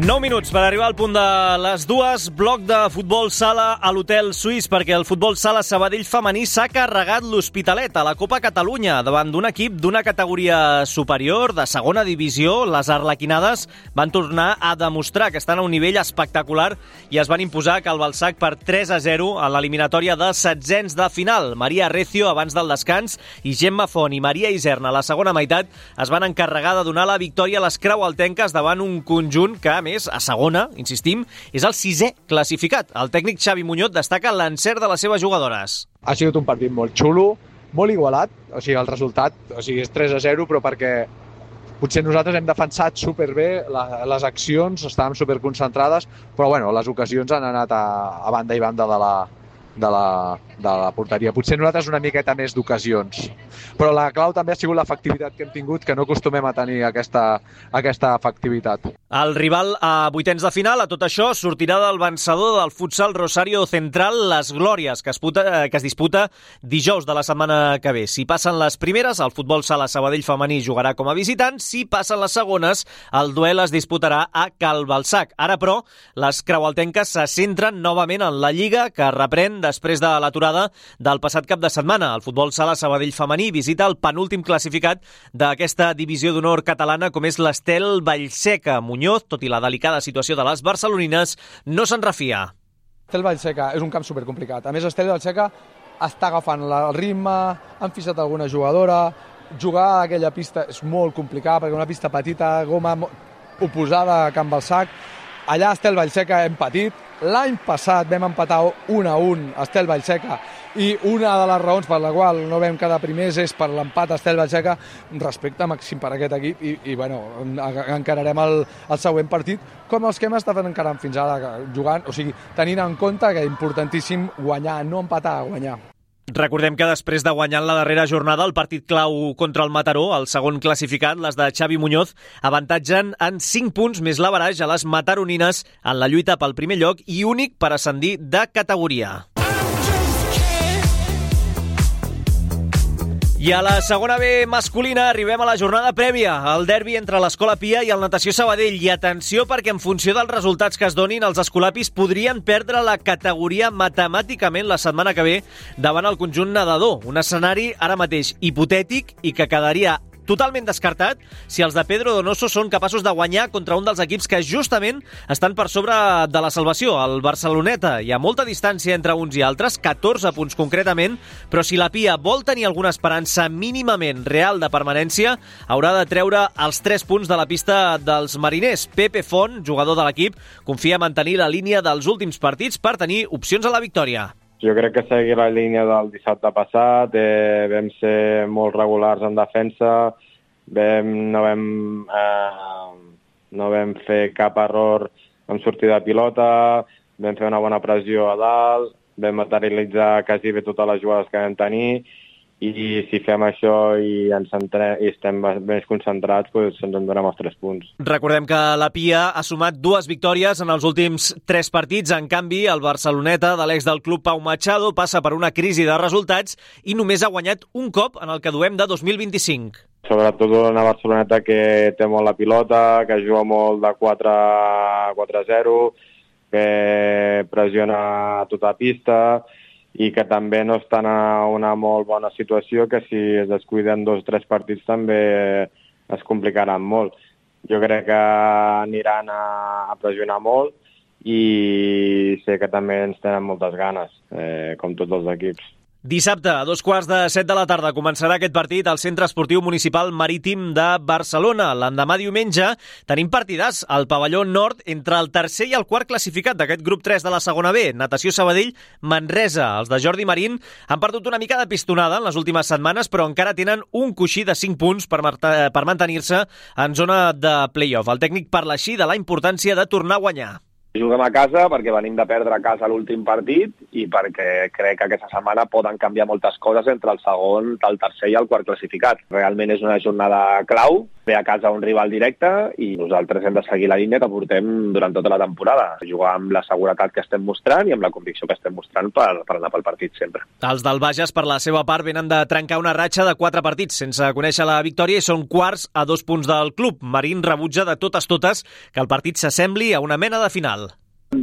nou minuts per arribar al punt de les dues. Bloc de futbol sala a l'Hotel Suís, perquè el futbol sala Sabadell femení s'ha carregat l'Hospitalet a la Copa Catalunya davant d'un equip d'una categoria superior, de segona divisió. Les arlequinades van tornar a demostrar que estan a un nivell espectacular i es van imposar a Calbalsac per tres a zero a l'eliminatòria de setzents de final. Maria Recio abans del descans i Gemma Font i Maria Iserna a la segona meitat es van encarregar de donar la victòria a les creualtenques davant un conjunt que, a més, més, a segona, insistim, és el sisè classificat. El tècnic Xavi Muñoz destaca l'encert de les seves jugadores. Ha sigut un partit molt xulo, molt igualat, o sigui, el resultat o sigui, és tres a zero, però perquè potser nosaltres hem defensat superbé la, les accions, estàvem superconcentrades, però bueno, les ocasions han anat a, a banda i banda de la, de la, de la porteria. Potser nosaltres una miqueta més d'ocasions. Però la clau també ha sigut l'efectivitat que hem tingut, que no acostumem a tenir aquesta, aquesta efectivitat. El rival a vuitens de final, a tot això, sortirà del vencedor del futsal Rosario Central Les Glòries, que es, puta, que es disputa dijous de la setmana que ve. Si passen les primeres, el futbol sala Sabadell femení jugarà com a visitant. Si passen les segones, el duel es disputarà a Cal Balsac. Ara, però, les creualtenques se centren novament en la Lliga, que reprèn després de l'aturada del passat cap de setmana. El futbol sala Sabadell femení visita el penúltim classificat d'aquesta divisió d'honor catalana, com és l'Estel Vallseca. Muñoz, tot i la delicada situació de les barcelonines, no se'n refia. Estel Vallseca és un camp supercomplicat. A més, Estel Vallseca està agafant el ritme, han fixat alguna jugadora, jugar a aquella pista és molt complicat, perquè una pista petita, goma oposada a Can Balsac. Allà a Estel Vallseca hem patit. L'any passat vam empatar un a un a Estel Vallseca i una de les raons per la qual no vam quedar primers és per l'empat a Estel Vallseca. Respecte màxim per aquest equip i, i bueno, encararem el, el següent partit com els que hem estat encarant fins ara, jugant, o sigui, tenint en compte que és importantíssim guanyar, no empatar, guanyar. Recordem que després de guanyar en la darrera jornada el partit clau contra el Mataró, el segon classificat, les de Xavi Muñoz, avantatgen en cinc punts més l'averaix a les mataronines en la lluita pel primer lloc i únic per ascendir de categoria. I a la segona B masculina arribem a la jornada prèvia, el derbi entre l'Escola Pia i el Natació Sabadell. I atenció, perquè en funció dels resultats que es donin, els escolapis podrien perdre la categoria matemàticament la setmana que ve davant el conjunt nedador. Un escenari ara mateix hipotètic i que quedaria totalment descartat si els de Pedro Donoso són capaços de guanyar contra un dels equips que justament estan per sobre de la salvació, el Barceloneta. Hi ha molta distància entre uns i altres, catorze punts concretament, però si la Pia vol tenir alguna esperança mínimament real de permanència, haurà de treure els tres punts de la pista dels mariners. Pepe Font, jugador de l'equip, confia en mantenir la línia dels últims partits per tenir opcions a la victòria. Jo crec que seguir la línia del dissabte passat, eh, vam ser molt regulars en defensa, vam, no, vam, eh, no vam fer cap error en sortida de pilota, vam fer una bona pressió a dalt, vam materialitzar quasi bé totes les jugades que vam tenir, i si fem això i ens centrem, i estem més concentrats, doncs ens en donem els tres punts. Recordem que la Pia ha sumat dues victòries en els últims tres partits. En canvi, el Barceloneta, de l'ex del club Pau Machado, passa per una crisi de resultats i només ha guanyat un cop en el que duem de dos mil vint-i-cinc. Sobretot una Barceloneta que té molt la pilota, que juga molt de quatre a zero, que pressiona a tota pista, i que també no estan en una molt bona situació, que si es descuiden dos o tres partits també es complicaran molt. Jo crec que aniran a, a pressionar molt i sé que també ens tenen moltes ganes, eh, com tots els equips. Dissabte, a dos quarts de set de la tarda, començarà aquest partit al Centre Esportiu Municipal Marítim de Barcelona. L'endemà diumenge tenim partidars al pavelló nord entre el tercer i el quart classificat d'aquest grup tres de la segona B, Natació Sabadell, Manresa. Els de Jordi Marín han perdut una mica de pistonada en les últimes setmanes, però encara tenen un coixí de cinc punts per, per mantenir-se en zona de play-off. El tècnic parla així de la importància de tornar a guanyar. Juguem a casa perquè venim de perdre a casa l'últim partit i perquè crec que aquesta setmana poden canviar moltes coses entre el segon, el tercer i el quart classificat. Realment és una jornada clau, ve a casa un rival directe i nosaltres hem de seguir la línia que portem durant tota la temporada. Jugar amb la seguretat que estem mostrant i amb la convicció que estem mostrant per, per anar pel partit sempre. Els del Bages, per la seva part, venen de trencar una ratxa de quatre partits sense conèixer la victòria i són quarts a dos punts del club. Marín rebutja de totes totes que el partit s'assembli a una mena de final.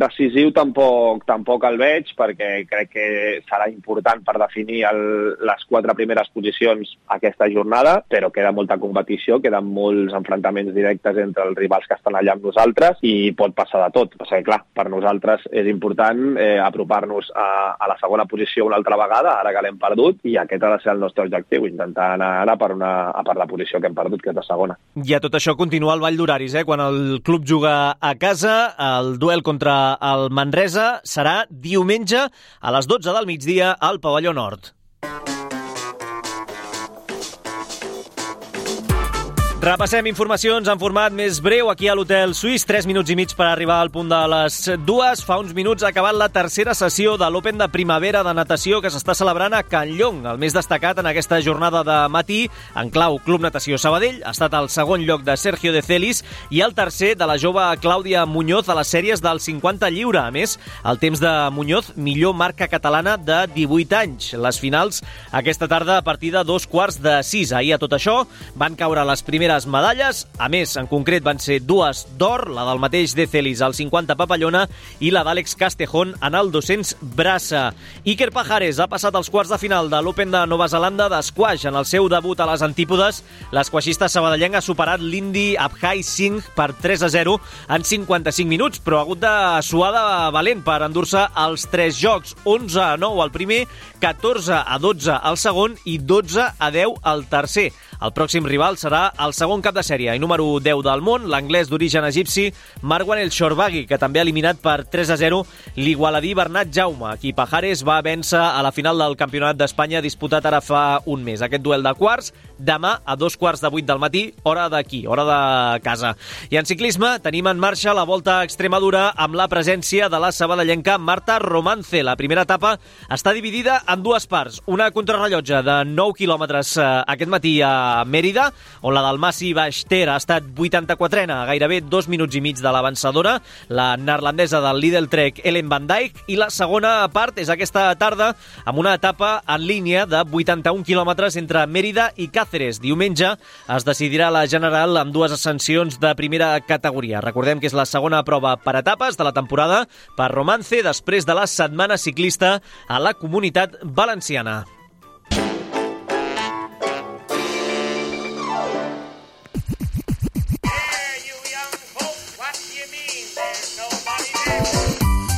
Decisiu tampoc, tampoc el veig, perquè crec que serà important per definir el, les quatre primeres posicions aquesta jornada, però queda molta competició, queden molts enfrontaments directes entre els rivals que estan allà amb nosaltres i pot passar de tot. O sigui, clar, per nosaltres és important eh, apropar-nos a, a la segona posició una altra vegada, ara que l'hem perdut, i aquest ha de ser el nostre objectiu, intentar anar ara per, una, per la posició que hem perdut, que és la segona. I a tot això continua el ball d'horaris, eh? Quan el club juga a casa, el duel contra el Manresa serà diumenge a les dotze del migdia al Pavelló Nord. Repassem informacions en format més breu aquí a l'Hotel Suís. Tres minuts i mig per arribar al punt de les dues. Fa uns minuts ha acabat la tercera sessió de l'Open de primavera de natació que s'està celebrant a Can Llong. El més destacat en aquesta jornada de matí, en clau Club Natació Sabadell, ha estat el segon lloc de Sergio de Celis i el tercer de la jove Clàudia Muñoz a les sèries del cinquanta lliure. A més, el temps de Muñoz, millor marca catalana de divuit anys. Les finals aquesta tarda a partir de dos quarts de sis. Ahir a tot això van caure les primeres medalles, a més, en concret van ser dues d'or, la del mateix De Celis al cinquanta papallona i la d'Àlex Castejón en el dos-cents braça. Iker Pajares ha passat als quarts de final de l'Open de Nova Zelanda d'esquaix. En el seu debut a les antípodes, l'esquaixista sabadellenc ha superat l'indi Abhay Singh per tres a zero en cinquanta-cinc minuts, però ha hagut de suar de valent per endur-se els tres jocs, onze a nou al primer, catorze a dotze al segon i dotze a deu al tercer. El pròxim rival serà el segon cap de sèrie i número deu del món, l'anglès d'origen egipci Marwan El Shorbagy, que també ha eliminat per tres a zero l'igualadí Bernat Jaume, qui Pajares va vèncer a la final del Campionat d'Espanya disputat ara fa un mes. Aquest duel de quarts, demà a dos quarts de vuit del matí, hora d'aquí, hora de casa. I en ciclisme tenim en marxa la Volta a Extremadura amb la presència de la sabadellenca Marta Romance. La primera etapa està dividida en dues parts. Una contrarrellotge de nou quilòmetres eh, aquest matí a Mèrida, on la del Massi Baix-Ter ha estat vuitanta-quatrena, a gairebé dos minuts i mig de l'avançadora, la neerlandesa del Lidl Trek Ellen van Dijk, i la segona part és aquesta tarda amb una etapa en línia de vuitanta-un quilòmetres entre Mèrida i Càceres. Diumenge es decidirà la general amb dues ascensions de primera categoria. Recordem que és la segona prova per etapes de la temporada per Romance després de la setmana ciclista a la Comunitat Valenciana.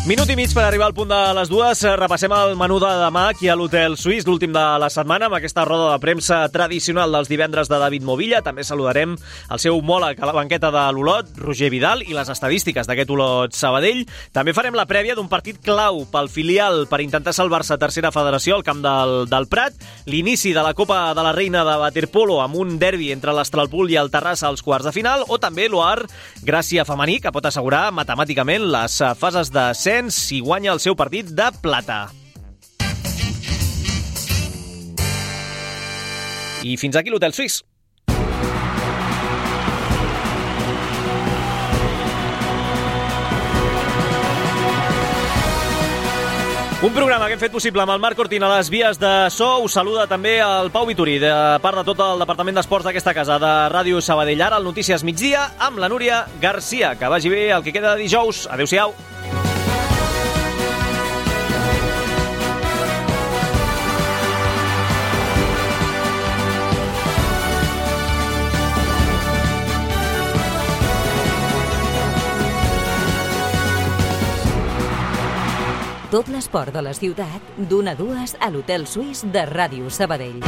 Minut i mig per arribar al punt de les dues. Repassem el menú de demà aquí a l'Hotel Suís, l'últim de la setmana, amb aquesta roda de premsa tradicional dels divendres de David Movilla. També saludarem el seu homòleg a la banqueta de l'Olot, Roger Vidal, i les estadístiques d'aquest Olot Sabadell. També farem la prèvia d'un partit clau pel filial per intentar salvar-se a tercera federació al camp del, del Prat, l'inici de la Copa de la Reina de waterpolo amb un derbi entre l'Estralpul i el Terrassa als quarts de final, o també l'O A R Gràcia femení, que pot assegurar matemàticament les fases de si guanya el seu partit de plata. I fins aquí l'Hotel Suís. Un programa que hem fet possible amb el Marc Cortina a les vies de so. Us saluda també el Pau Vitorí, de part de tot el Departament d'Esports d'aquesta casa de Ràdio Sabadell. Ara el Notícies Migdia amb la Núria Garcia. Que vagi bé el que queda de dijous. Adéu-siau. Tot l'esport de la ciutat, d'una a dues a l'Hotel Suís de Ràdio Sabadell.